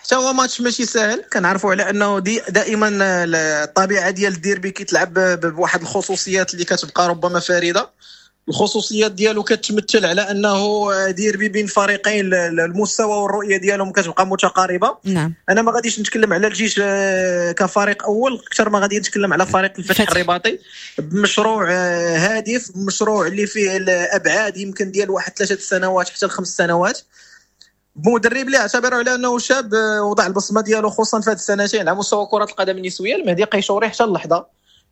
حتى هو ماتش ماشي سهل، كنعرفوا على انه دي دائما الطبيعة ديال الديربي كيتلعب بواحد الخصوصيات اللي كتبقى ربما فريدة. الخصوصيات ديالو كتمثل على انه ديربي بين فريقين المستوى والرؤية ديالهم كتبقى متقاربة. نعم. انا ما غاديش نتكلم على الجيش كفريق اول اكثر ما غادي نتكلم على فريق الفتح الرباطي بمشروع هادف، مشروع اللي فيه الابعاد يمكن ديال واحد ثلاثة سنوات حتى لخمس سنوات، مدرب اللي اعتبره على انه شاب وضع البصمة ديالو خصوصا في هذه السنتين على مستوى كره القدم النسوية. المهدي قيشوري حتى اللحظة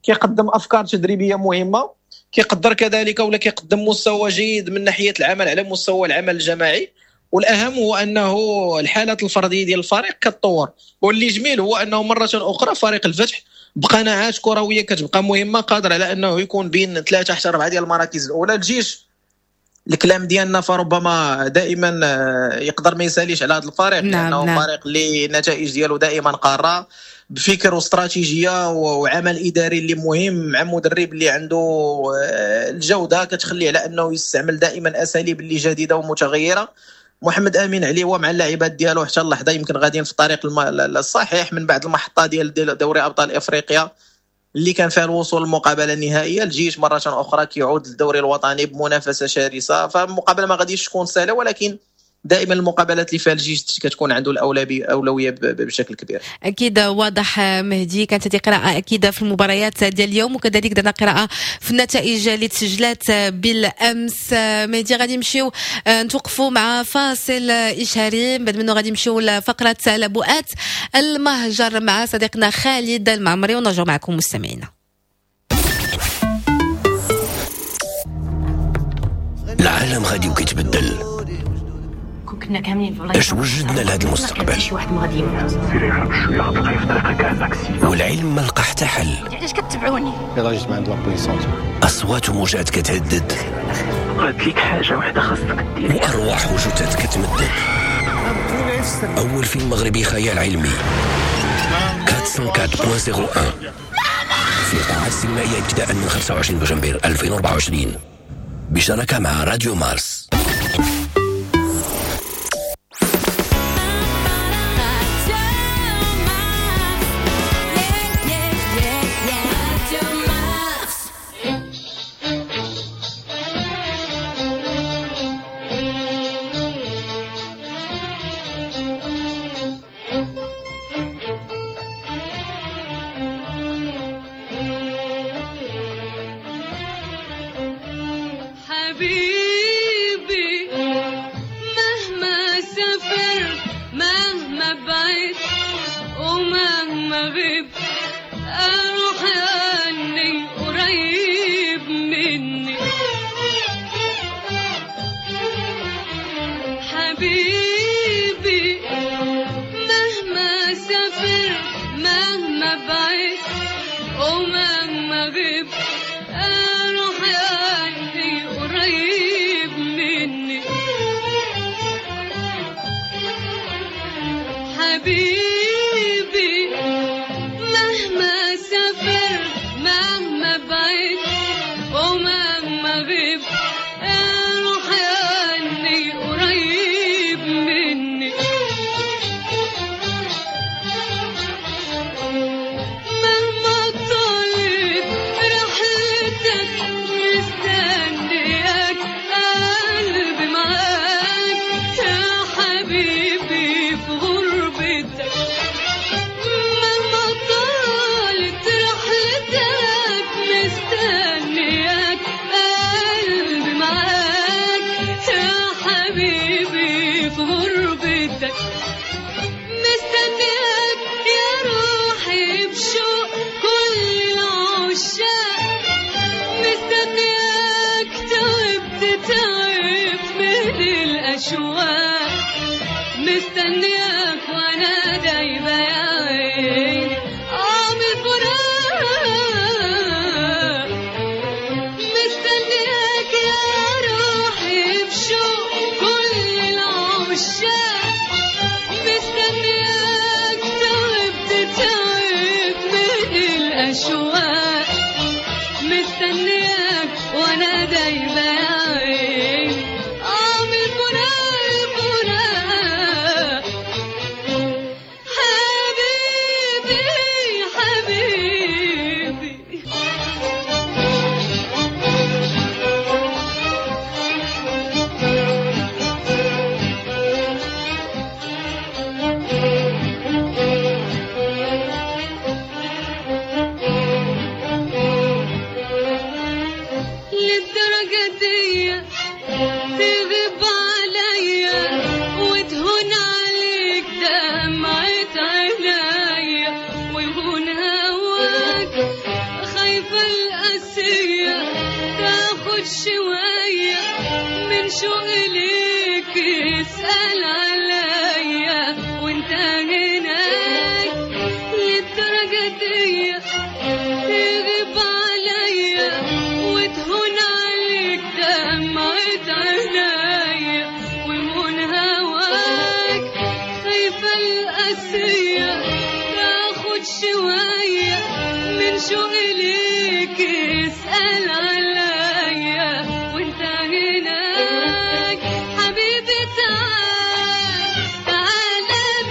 كيقدم افكار تدريبية مهمة، كيقدر كذلك ولا كيقدم مستوى جيد من ناحية العمل على مستوى العمل الجماعي، والاهم هو انه الحالات الفردية ديال الفريق كتطور. واللي جميل هو انه مرة اخرى فريق الفتح بقناعات كروية كتبقى مهمة، قادر على انه يكون بين ثلاثة حتى اربعة ديال المراكز الاولى. الجيش الكلام ديالنا فربما دائما يقدر ما يساليش على هذا الفريق، نعم، لانه نعم. فريق اللي النتائج ديالو دائما قارة بفكر واستراتيجيه وعمل اداري اللي مهم مع مدرب اللي عنده الجودة كتخليه على انه يستعمل دائما اساليب اللي جديدة ومتغيره. محمد امين علي هو مع اللاعبات ديالو حتى اللحظة يمكن غاديين في الطريق الصحيح من بعد المحطة ديال دوري ابطال افريقيا اللي كان فيها الوصول للمقابله النهائية. الجيش مرة اخرى كيعود للدوري الوطني بمنافسه شرسة، فالمقابله ما غاديش تكون سهلة، ولكن دائما المقابلات اللي فيها الجيش كتكون عنده الاولوية بشكل كبير. اكيد واضح مهدي، كانت هذه قراءة اكيدة في المباريات ديال اليوم، وكذلك درنا قراءة في النتائج اللي تسجلات بالامس. مهدي غادي نمشيو نتوقفوا مع فاصل اشهاري، بعد منه غادي نمشيو لفقره لبؤات المهجر مع صديقنا خالد المعمري، ونرجع معكم مستمعينا. العالم غادي وكيتبدل، كنا كاملين اش وجدنا لهذا المستقبل؟ شي واحد ما غادي يموت، والعلم ما لقى حتى حل. علاش كتبعوني؟ يلاه جيت من عند la police. اصوات وموجات كتهدد، قالت لك حاجة وحده خاصك دير، وارواح وجثث كتمدد. اول فيلم مغربي خيال علمي أربعمائة وأربعة فاصلة صفر واحد في قاعات السينمائية ابتداء من خمسة وعشرين دجنبر ألفين وأربعة وعشرين بشراكه مع راديو مارس. حبيبي في غربتك. مستنياك وانا دايبه يا عيني اه من الفراق، مستنياك يا روحي بشوق كل العشاق، مستنياك تعبت تعب من الأشواق، مستنياك وانا دايبه يا عيني اه من الفراق الفراق. حبيبي حبيبي للدرجة دي تغيب عليا وتهون عليك دمعة عينيا ويهون هواك، خايفة القاسية تاخد شوية من شوقي ليك، اسأل عليا وانت هناك. للدرجة دي تغيب عليا وتهون عليك دمعة عينيا ويهون هواك، خايفة القاسية تاخد شوية من شوقي ليك، اسأل عليا وانت هناك. حبيبي تعال تعال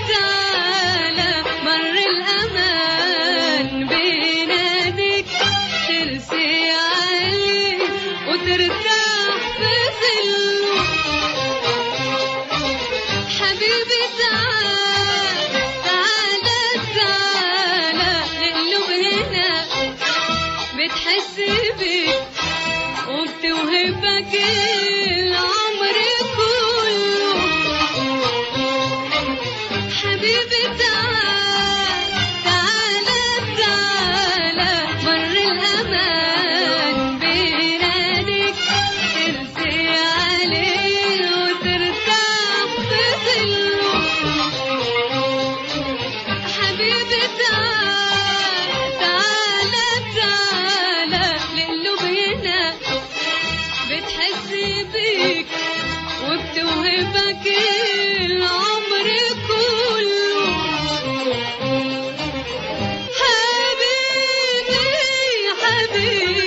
تعال مر الأمان بيناديك، ترسي عليه وترتاح في ظله. حبيبي تعال تعال تعال القلوب هنا بتحس بيك وبتوهبك العمر كله. حبيبي تعال تعال تعال مر الأمان بيناديك، ترسي عليه وترتاح في ظله. حبيبي تعال تعال تعال القلوب هنا بتحس بيك وبتوهبك العمر كله. حبيبي حبيبي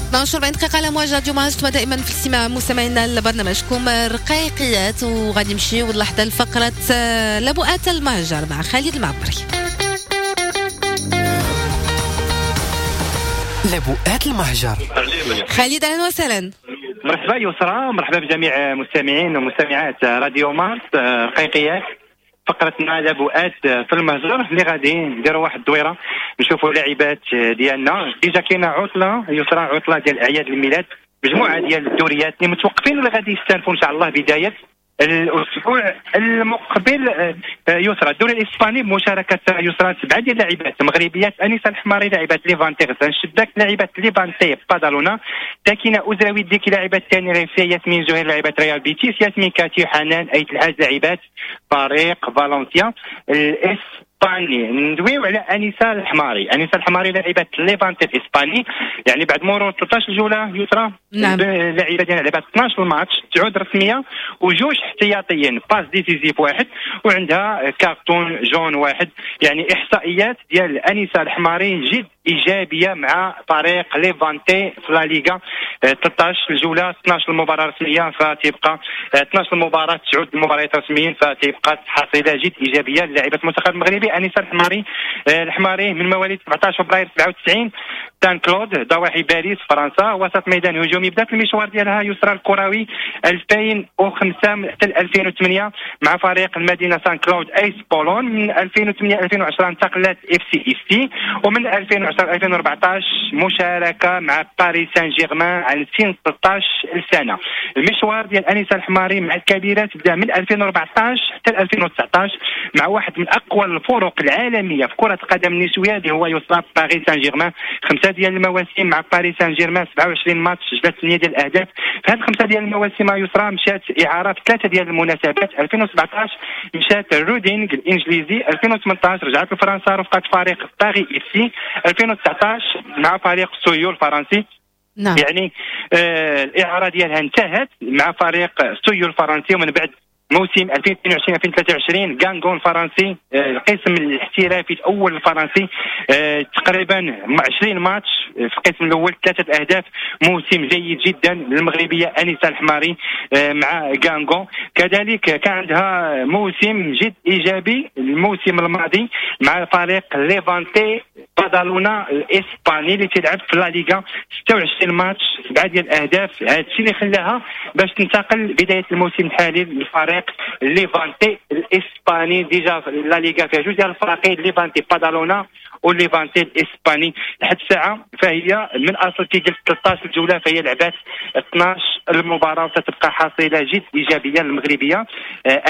اثنا عشر وأربعين دقيقة على مواجهة راديو مارس. انتم دائما في الاستماع مستمعينا لبرنامجكم رقيقيات، وغادي نمشيو لحظة لفقرة آه، لبؤات المهجر مع خالد المعبري. لبؤات المهجر. خالد اهلا وسهلا. مرحبا يسرى، مرحبا بجميع مستمعين ومستمعات راديو مارس. آه، رقيقيات فقرتنا لبؤات في المهجر اللي غادي نديروا واحد الدويره نشوفوا لاعبات ديالنا. déjà كاينه عطله يسرى، عطله ديال اعياد الميلاد، مجموعة ديال الدوريات اللي متوقفين واللي غادي يستأنفوا ان شاء الله بداية الاسبوع المقبل. آه، يسرى الدوري الاسباني بمشاركة يسرى سبعة ديال اللاعبات المغربيات: انيسة الحماري لاعبات ليفانتي غزلان الشباك، لاعبات ليفانتي بادالونا، ساكنة ازراوي ديكي لاعبات تينيريفي، ياسمين زهير لاعبات ريال بيتيس، ياسمين كاتي حنان ايت الحاج لاعبات فريق فالنسيا الاسباني. ندويو على انيسة الحماري. انيسة الحماري لاعبه ليفانتي الاسباني، يعني بعد مرور ثلاثة عشر جولة يسرى نعم. اللاعبه ديالنا لعبات اثنا عشر ماتش، تعود رسمية وجوج احتياطيين، passe décisive واحد وعندها carton jaune واحد. يعني احصائيات ديال انيسة الحماري جد ايجابية مع فريق ليفانتي في لا ليغا. آه، ثلاثة عشر جولة، اثنا عشر مباراة رسميه، فتبقى آه، اثنا عشر مباراه، تسعة مباريات رسميين، فتبقى حصيله جد ايجابية للاعيبه المنتخب المغربي. انيسة الحماري آه، الحماري من مواليد سبعة عشر فبراير سبعة وتسعين، سان كلود ضواحي باريس فرنسا، وسط ميدان هجومي. بدات المشوار ديالها يسرى الكروي ألفين وخمسة حتى ألفين وثمانية مع فريق المدينة سان كلود ايس بولون. من ألفين وثمانية ألفين وعشرة انتقلت اف سي اي سي، ومن ألفين وعشرة يسرى ألفين وأربعطاش مشاركة مع باريس سان جيرمان على سن ثلاثة عشر سنة. المشوار ديال انيسة الحماري مع الكبيرات بدا من ألفين وأربعطاش حتى ألفين وتسعطاش مع واحد من اقوى الفرق العالمية في كره القدم النسوية اللي هو يسرى باريس سان جيرمان. خمسة ديال المواسم مع باريس سان جيرمان، سبعة وعشرين ماتش، سجلت ثمانية ديال الاهداف. في هذه الخمسة ديال المواسم يسرى مشات اعاره في ثلاثة ديال المناسبات. ألفين وسبعطاش مشات رودينغ الانجليزي، ألفين وثمنطاش رجعت لفرنسا رفقه فريق باري اف سي، ألفين وتسعطاش مع فريق سويو الفرنسي. نعم. يعني آه الاعارة ديالها انتهت مع فريق سويو الفرنسي، ومن بعد موسم ألفين واثنين وعشرين ألفين وثلاثة وعشرين غانغون الفرنسي، آه القسم الاحترافي الاول الفرنسي، آه تقريبا عشرين ماتش في القسم الاول، ثلاثة اهداف، موسم جيد جدا للمغربيه انيسة الحماري آه مع غانغون. كذلك كان عندها موسم جد ايجابي الموسم الماضي مع فريق ليفانتي بادالونا الاسباني اللي تلعب في لا ليغا، ستة وعشرين ماتش، سبعة ديال الاهداف. هذا الشيء اللي خلاها باش تنتقل بداية الموسم الحالي للفريق ليفانتي الاسباني. déjà لا ليغا فيها جوج ديال الفريقين، ليفانتي بادالونا وليفانتي الاسباني. لحد الساعة فهي من اصل كي قلت ثلاثة عشر جولة فهي لعبات اثناش المباراة، وتتبقى حصيله جد ايجابية للمغربيه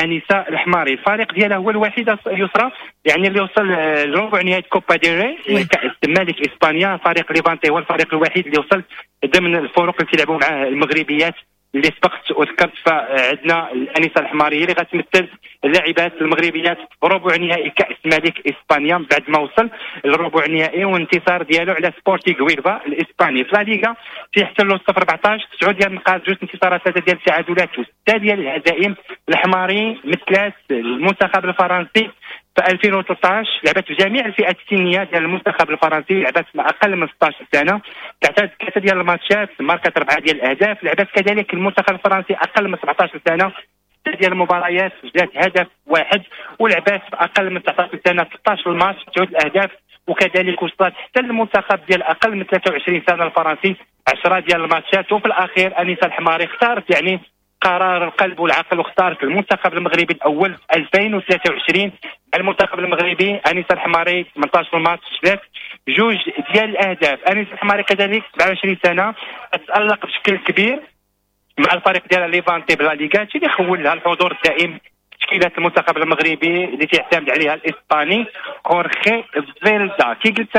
انيسة الحماري. الفريق ديالها هو الوحيد يسرى يعني اللي وصل لربع نهائي كوبا ديل ري كاس ملك اسبانيا. فريق ليفانتي هو الفريق الوحيد اللي وصل ضمن الفرق اللي تلعبوا معاه المغربيات اللي سبقت وذكرت. فعندنا الانسة الحماريه اللي غتمثل اللاعبات المغربيات ربع نهائي كاس ملك اسبانيا بعد ما وصل للربع النهائي وانتصار ديالو على سبورتيغ ويلفا الاسباني. في لا ليغا تيحتلوا صفر أربعطاش، تسعة ديال النقاط، جوج انتصارات، ثلاثة ديال التعادلات وستة ديال الهزائم. الحماري مثلات المنتخب الفرنسي في ألفين وثلاثطاش، لعبت في جميع الفئات السنية ديال المنتخب الفرنسي، لعبت مع اقل من ستة عشر سنة، لعبت ثلاثة ديال الماتشات، ماركت اربعة ديال الاهداف. لعبت كذلك المنتخب الفرنسي اقل من سبعطاش سنة، ستة ديال المباريات، سجلت هدف واحد، ولعبت في اقل من تسعطاش سنة ستة عشر الماتش، تسعة الاهداف، وكذلك وصلت حتى المنتخب ديال اقل من ثلاثة وعشرين سنة الفرنسي عشرة ديال الماتشات. وفي الاخير انيسة الحماري اختارت يعني قرار القلب والعقل واختارت المنتخب المغربي الاول في ألفين وثلاثة وعشرين. المنتخب المغربي انيسة الحماري ثمنطاش ماتش، سجلات جوج ديال الاهداف. انيسة الحماري كذلك سبعة وعشرين سنة، تتالق بشكل كبير مع الفريق ديالها ليفانتي بلا ليغا، اللي خول لها الحضور الدائم تشكيلات المنتخب المغربي اللي تيعتمد عليها الاسباني خورخي فيلدا. كي قلت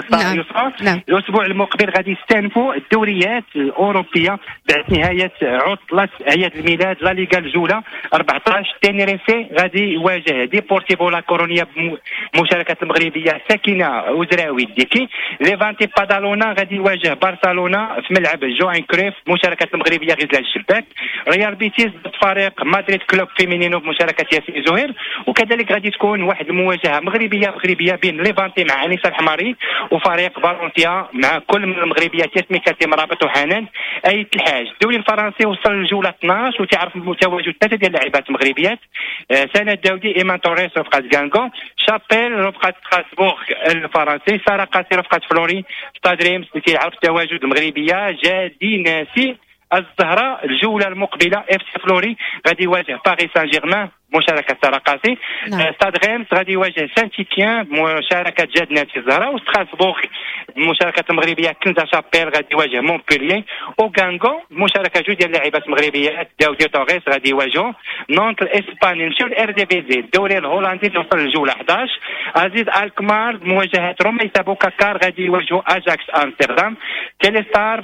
يسرى، نعم. الاسبوع المقبل غادي يستأنفوا الدوريات الاوروبية بعد نهاية عطله اعياد الميلاد. لا ليغا الجولة أربعطاش، تينيريفي غادي يواجه ديبورتيفو لا كورونيا بمشاركة المغربية ساكنة وزراوي ديكي. ليفانتي بادالونا غادي يواجه برشلونة في ملعب جوان كريف بمشاركة المغربية غزلان الشباك. ريال بيتيس ضد فريق مدريد كلوب فيمينينو بمشاركة ياسين زهير. وكذلك غادي تكون واحد المواجهة مغربية مغربية بين ليفانتي مع انيسة الحماري وفريق فالنسيا مع كل من المغربيات ياسمين كاتم رابط وحنان ايت الحاج. الدوري الفرنسي وصل للجوله اثناش وتعرف تواجد ثلاثة ديال اللاعبات المغربيات، سنة داودي، ايمان توريس رفقه غانغون، شابيل رفقه ستراسبورغ الفرنسي، ساره قاسي رفقه فلوري ستاد ريمس اللي تيعرف تواجد المغربية جادي ناسي الزهراء. الجولة المقبلة اف سي فلوري غادي يواجه باريس سان جيرمان مشاركة ساره قاسي. نعم. ستاد ريمس غادي يواجه سان تيتيان بمشاركة جاد ناسي الزهراء، وستراسبورغ بمشاركة المغربية كنزا شابيل غادي يواجه مونبوليي، وغانغو بمشاركة جوج ديال اللاعبات المغربيات داودي توريس غادي يواجهوا نونت الاسباني. نمشيو للارديفيزي الدوري الهولندي اللي وصل للجوله احداش، عزيز الكمار بمواجهة روميسا بوكاكار غادي يواجهوا اجاكس امستردام. تيليستار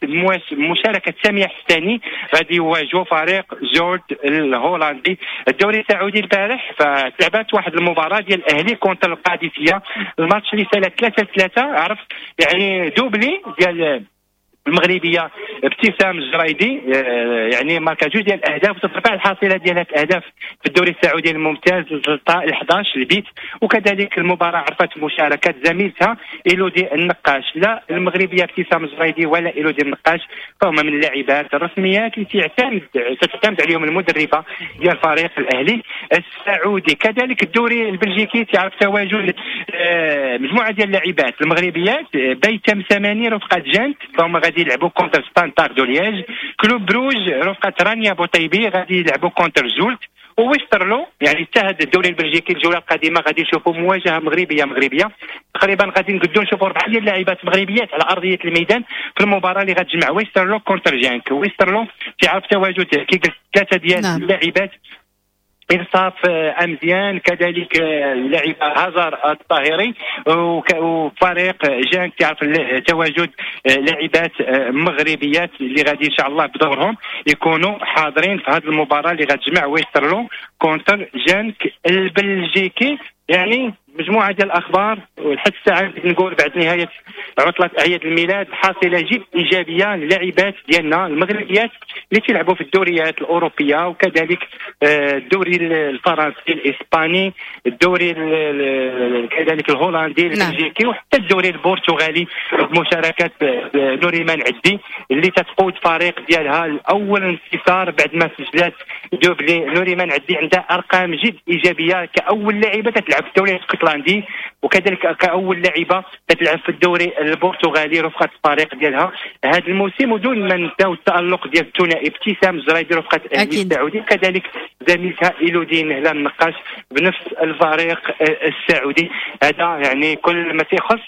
بمواجهة مشاركة سامية حساني غادي يواجهوا فريق جورد الهولندي. الدوري السعودي البارح فتلعبات واحد المباراة ديال الاهلي contre القادسية، الماتش اللي سالت ثلاثة ثلاثة، عرف يعني doublé ديال المغربية ابتسام الجريدي، يعني ماركا جوج ديال الاهداف وترفع الحصيلة ديال الاهداف في الدوري السعودي الممتاز ل احداش البيت. وكذلك المباراة عرفت مشاركة زميلتها إيلودي النقاش. لا المغربية ابتسام الجريدي ولا إيلودي النقاش فهما من اللاعبات الرسميات اللي تعتمد تعتمد عليهم المدربه ديال فريق الاهلي السعودي. كذلك الدوري البلجيكي تعرف تواجد مجموعة ديال اللاعبات المغربيات، بيتم ثمانية رفقه جانت فهما غادي يلعبوا contre ستاندار دو ليج، كلوب بروج رفقه رانيا بوطيبي غادي يلعبوا contre زولت، وويسترلو. يعني حتى هذا الدوري البلجيكي الجولة القادمة غادي نشوفوا مواجهة مغربية مغربية، تقريبا غادي نقدروا نشوفوا اربعة ديال اللاعبات مغربيات على ارضية الميدان في المباراة اللي غتجمع ويسترلو contre جانك. ويسترلو تعرف تواجد كي قلت ثلاثة ديال نعم. اللاعبات، انصاف امزيان، كذلك اللاعبه هزار الطاهري، وفريق جانك تعرف تواجد لاعبات مغربيات اللي غادي ان شاء الله بدورهم يكونوا حاضرين في هذه المباراة اللي غتجمع ويسترلو contre جانك البلجيكي. يعني مجموعة ديال الاخبار، ولحد الساعة نقول بعد نهاية عطله اعياد الميلاد حاصله جد ايجابية للاعبات ديالنا المغربيات اللي تيلعبوا في الدوريات الاوروبية، وكذلك الدوري الفرنسي، الاسباني، الدوري كذلك الهولندي، البلجيكي، وحتى الدوري البرتغالي بمشاركة نوريمان عدي اللي تتقود فريق ديالها الاول انتصار بعد ما سجلات doublé. نوريمان عدي عندها ارقام جد ايجابية كاول لاعبه تتلعب في الدوري الاسكتلندي، وكذلك كاول لاعبه تتلعب في الدوري البرتغالي رفقه الفريق ديالها هذا الموسم. ودون ما ننساو التالق ديال الثنائي ابتسام الجرايدي رفقه الاهلي السعودي، كذلك زميلتها إيلودين هلال النقاش بنفس الفريق السعودي. هذا يعني كل ما تيخص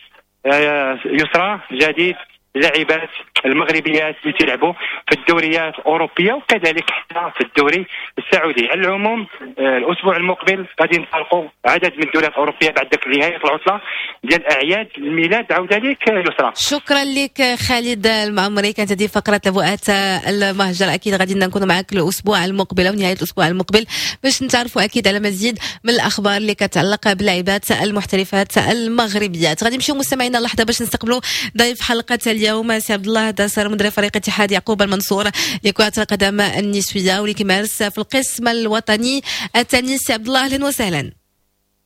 يسرى جديد اللاعبات المغربيات اللي تلعبوا في الدوريات الاوروبية وكذلك حتى في الدوري السعودي. على العموم الاسبوع المقبل غادي نطلقوا عدد من الدوريات الاوروبية بعد ذاك نهاية العطلة ديال اعياد الميلاد. عوده لك يسرى. شكرا لك خالد المعمري. كانت هذه فقره لبؤات المهجر. اكيد غادي نكونوا معك الاسبوع المقبل او نهاية الاسبوع المقبل باش نتعرفوا اكيد على مزيد من الاخبار اللي كتعلق باللاعبات المحترفات المغربيات. غادي نمشيو مستمعينا لحظة باش نستقبلوا ضيف حلقة اليوم سي عبد الله داسر، مدرب فريق اتحاد يعقوب المنصور لكرة القدم النسوية واللي كيمارس في القسم الوطني الثاني. سي عبد الله اهلا وسهلا.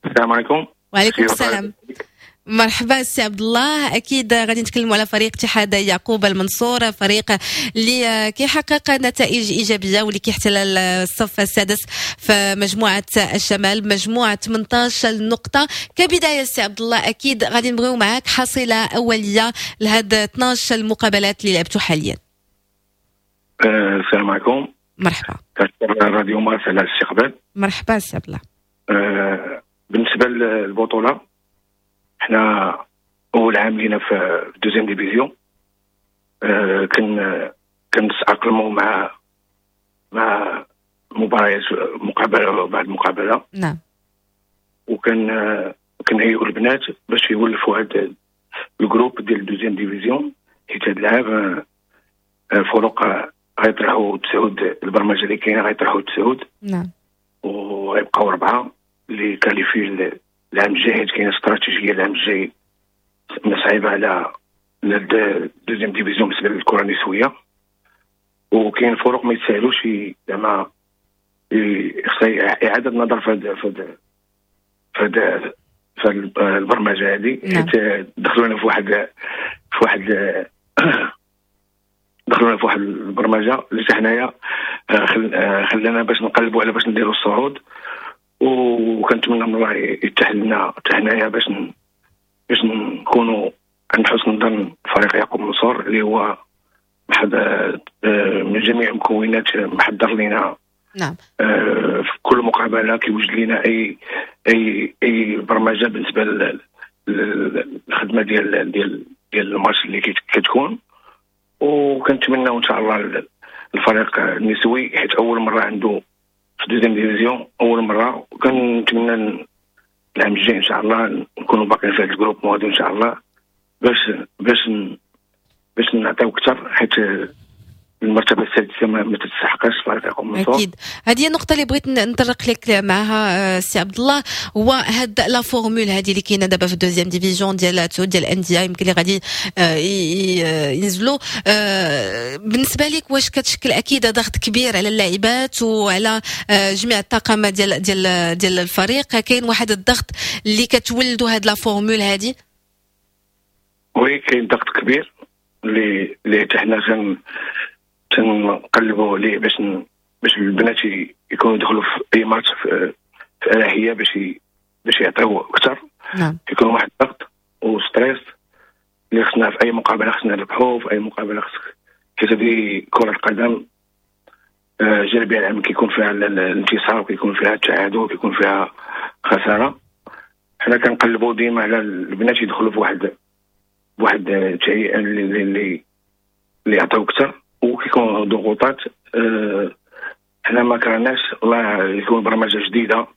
السلام عليكم. وعليكم السلام. مرحبا سي عبد الله. اكيد غادي نتكلموا على فريق اتحاد يعقوب المنصور، فريق اللي كيحقق نتائج ايجابية واللي كيحتل الصف السادس في مجموعة الشمال بمجموعه ثمانية عشر نقطة. كبداية سي عبد الله اكيد غادي نبغيو معاك حصيله اوليه لهاد اثناش المقابلات اللي لعبتوا حاليا. السلام عليكم. مرحبا. كنشكر راديو مارس على الاستقبال. مرحبا سي عبد الله. أه بالنسبة للبطولة، حنا اول عام لينا في deuxième division، أه كن كنتاقلموا مع مع مباريات مقابله بعد مقابله. نعم. وكان كنهيئوا البنات باش يولفوا هذا ال groupe ديال deuxième division، حيت هذا العام فرق غيطرحوا تسعود، البرمجة اللي كاينه غيطرحوا تسعود. نعم. وغيبقاو اربعة اللي qualifiés العام الجاي، حيت كاينه استراتيجية العام الجاي صعيبة على deuxième division بالنسبة للكرة النسوية، وكاين فرق ما يتساهلوش زعما خصها اعاده النظر في هاد في هاد في البرمجة هذه، حيت دخلونا في واحد في واحد دخلونا في واحد البرمجة اللي حتى حنايا خلانا باش نقلبوا على باش نديروا الصعود، وكنتمنى من الله يتاح لنا حتى حنايا باش ن... باش نكونوا عند حسن ظن فريق يعقوب منصور اللي هو محض من جميع المكونات محضر لنا. نعم. في كل مقابله كيوجد لنا اي اي اي برمجة بالنسبة للخدمة ديال ديال ديال الماتش اللي كتكون، وكنتمناو ان شاء الله الفريق النسوي حيت اول مرة عنده في deuxième division، اول مرة، وكنتمنى العام الجاي ان شاء الله نكونوا باقيين في هذا ال groupe هذا ان شاء الله باش باش باش نعطيو اكثر، حيت المرتبة السادسة ما تستحقش فريق يعقوب منصور. اكيد هذه هي النقطة اللي بغيت نطرق لك معها سي عبد الله، هو هاد la formule هذه اللي كاينه دابا في ال deuxième division ديال تسعود ديال الاندية يمكن اللي غادي ينزلوا. بالنسبة لك واش كتشكل اكيد ضغط كبير على اللاعبات وعلى جميع الطاقم ديال ديال ديال الفريق؟ كاين واحد الضغط اللي كتولدوا هاد la formule هذه؟ oui كاين ضغط كبير اللي اللي حتى حنا تنقلبوا عليه باش ن... باش البنات يكونوا يدخلوا في اي ماتش في, في اريحية باش ي... باش يعطيو اكثر. نعم. يكون واحد الضغط و stress اللي خصنا في اي مقابله خصنا نربحوا، في اي مقابله خصك، حيت هذه كره القدم الجربيه العام كيكون فيها الانتصار وكيكون فيها التعادل وكيكون فيها خسارة. حنا كنقلبوا ديما على البنات يدخلوا في واحد واحد التهيئه اللي اللي اللي يعطيو اكثر، وكيكون ضغوطات. أه حنا ما كرهناش الله يكون برمجة جديدة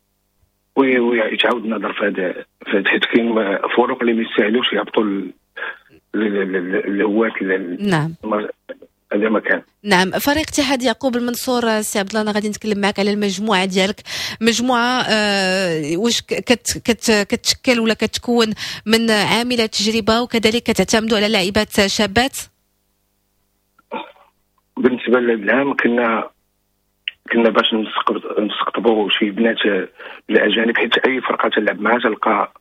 ويتعاود النظر في هذا، حيت كاين فرق اللي ما يستاهلوش يهبطوا الهوات. نعم هذا ما كان. نعم، فريق اتحاد يعقوب المنصور، سي عبد الله انا غادي نتكلم معك على المجموعة ديالك. مجموعة آه واش كت كت كتشكل ولا كتكون من عامله تجربه وكذلك كتعتمدوا على لاعبات شابات؟ بالنسبة للعام كنا كنا باش نستقطبوا شي بنات الاجانب، حيت اي فرقه تلعب معها تلقى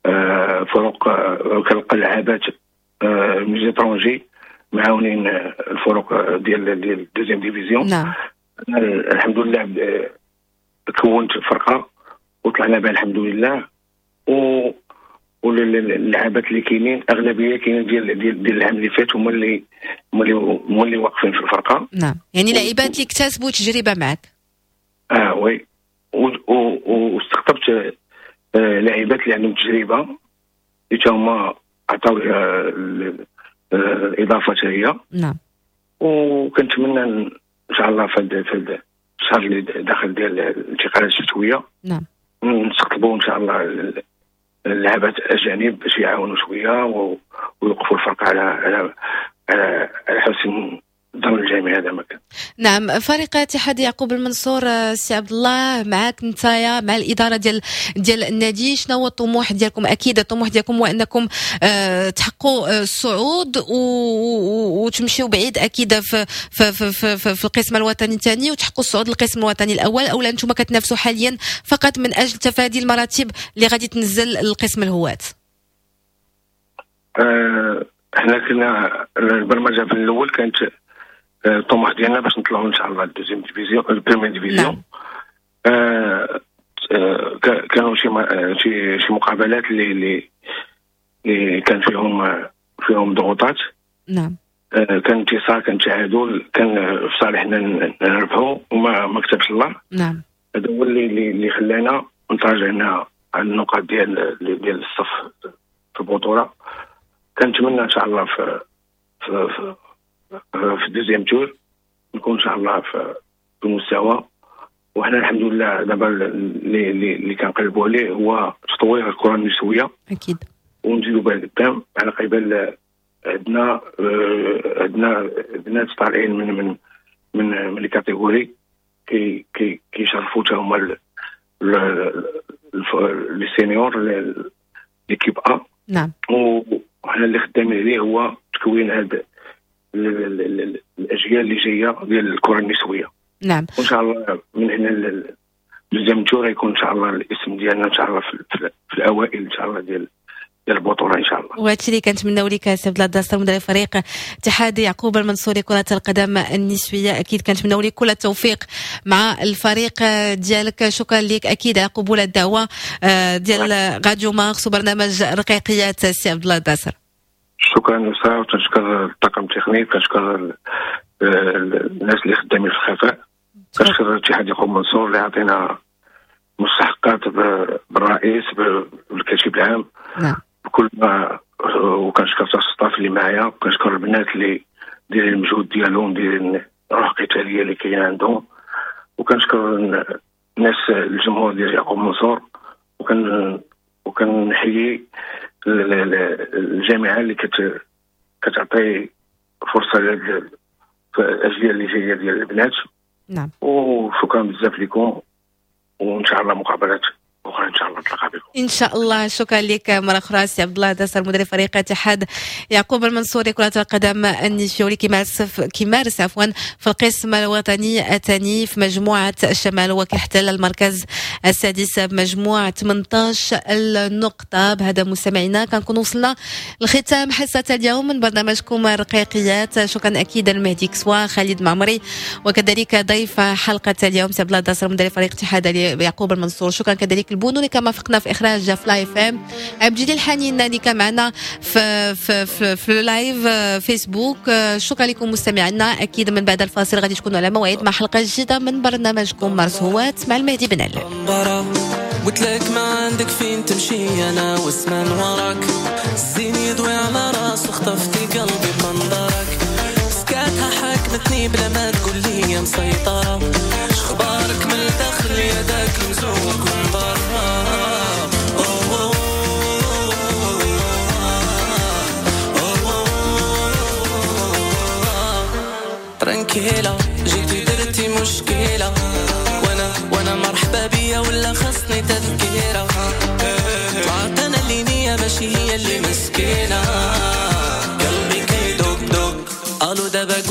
آه فرق آه كتلقى لعابات آه من l'étranger معاونين الفرق ديال ديال deuxième division. نعم الحمد لله كونت فرقه وطلعنا بها الحمد لله، و واللعابات اللي كاينين اغلبية كاينين ديال ديال ديال العام اللي فات هما اللي هما اللي هما اللي واقفين في الفرقة. نعم، يعني لاعبات اللي اكتسبوا تجربه معك. اه oui، واستقطبت لاعبات اللي عندهم تجربه اللي هما عطاو الاضافة هي. نعم، وكنتمنى ان شاء الله في هذا الشهر اللي داخل ديال الانتقالات الشتوية نعم نستقطبوا ان شاء الله اللعابات الاجانب باش يعاونوا شوية ويوقفوا الفرقة على على على حسن ظن الجميع. هذا ما كان. نعم، فريق اتحاد يعقوب المنصور، سي عبد الله معاك نتايا مع الادارة ديال ديال النادي، شنو هو الطموح ديالكم؟ اكيد الطموح ديالكم هو انكم أه تحققوا الصعود وتمشيو بعيد اكيد في في في في, في, في القسم الوطني الثاني وتحققوا الصعود للقسم الوطني الاول، او انتم كتنافسوا حاليا فقط من اجل تفادي المراتب اللي غادي تنزل القسم الهواة؟ أه احنا كنا البرمجة في الاول كانت الطموح ديالنا باش نطلعوا ان شاء الله ال deuxième division ال première division. نعم. آه آه كانوا شي شي شي مقابلات اللي اللي اللي كان فيهم فيهم ضغوطات. نعم. آه كان انتصار، كان تعادل، كان في صالحنا نربحوا وما ما كتبش الله. نعم. هذا هو اللي اللي خلانا نتراجعنا على النقاط ديال ديال الصف في البطولة. كنتمنى ان شاء الله في في, في في ال deuxième tour نكون ان شاء الله في المستوى. وحنا الحمد لله دابا اللي اللي كنقلبوا عليه هو تطوير الكره النسوية اكيد، ونزيدوا بها لقدام. على قبل عندنا عندنا بنات طالعين من من من من les catégories كي كي كيشرفوا حتى هما les seniors l'équipe A. نعم. وحنا اللي خدامين عليه هو تكوين هاد الاجيال اللي جاية ديال الكره النسوية. نعم. وان شاء الله من هنا لل deuxième tour يكون ان شاء الله الاسم ديالنا ان شاء الله في, في الاوائل ان شاء الله ديال ديال البطولة ان شاء الله. وهادشي اللي كنتمناو لك سي عبد الله الداسر مدرب فريق اتحاد يعقوب المنصوري كره القدم النسوية، اكيد كنتمناو لك كل التوفيق مع الفريق ديالك. شكرا لك اكيد على قبول الدعوة ديال راديو مارس وبرنامج رقيقيات سي عبد الله الداسر. شكرا يسرا، وتنشكر الطاقم التقني، كنشكر الناس اللي خدامين في الخفاء، كنشكر الاتحاد يعقوب منصور اللي عطينا مستحقات بالرئيس بالكاتب العام. نعم. بكل ما، وكنشكر ال staff اللي معايا، وكنشكر البنات اللي دايرين المجهود ديالهم، دايرين الروح القتالية اللي كاينه عندهم، وكنشكر الناس الجمهور ديال يعقوب منصور، وكن وكنحيي الجامعة اللي كت كتعطي فرصة للاجيال اللي جاية ديال البنات. نعم. وشكرا بزاف لكم، وان شاء الله مقابلات اخرى ان شاء الله نتلاقى بكم ان شاء الله. شكرا لك مرة اخرى سي عبد الله داسر مدرب فريق اتحاد يعقوب المنصوري كره القدم النسوي كيمارس كيمارس عفوا في القسم الوطني الثاني في مجموعة الشمال، وكيحتل المركز السادس بمجموع ثمانية عشر النقطة. بهذا مستمعينا كنكون وصلنا لختام حصة اليوم من برنامجكم رقيقيات. شكرا اكيد المهدي كسوا، خالد معمري، وكذلك ضيف حلقة اليوم سي عبد الله داسر مدرب فريق اتحاد يعقوب المنصور. شكرا كذلك البونو اللي كما فقنا معنا في اخراج فلاي فام، عبد الجليل الحنين اللي كان معنا في في في, في live فيسبوك. شكرا لكم مستمعينا، اكيد من بعد الفاصل غادي تكونوا على موعد مع حلقة جديدة من برنامجكم مارس هوات مع المهدي بن علال. قلت لك ما عندك فين تمشي انا واسمان وراك، الزين يضوي على راسه خطفتي قلبي بمنظرك، سكاتها حاكمتني بلا ما تقول لي يا مسيطرة، اخبارك من الداخل يا داك المزوق من برا. ترانكيلا جيتي درتي مشكلة، وانا وانا مرحبا بيا ولا خليني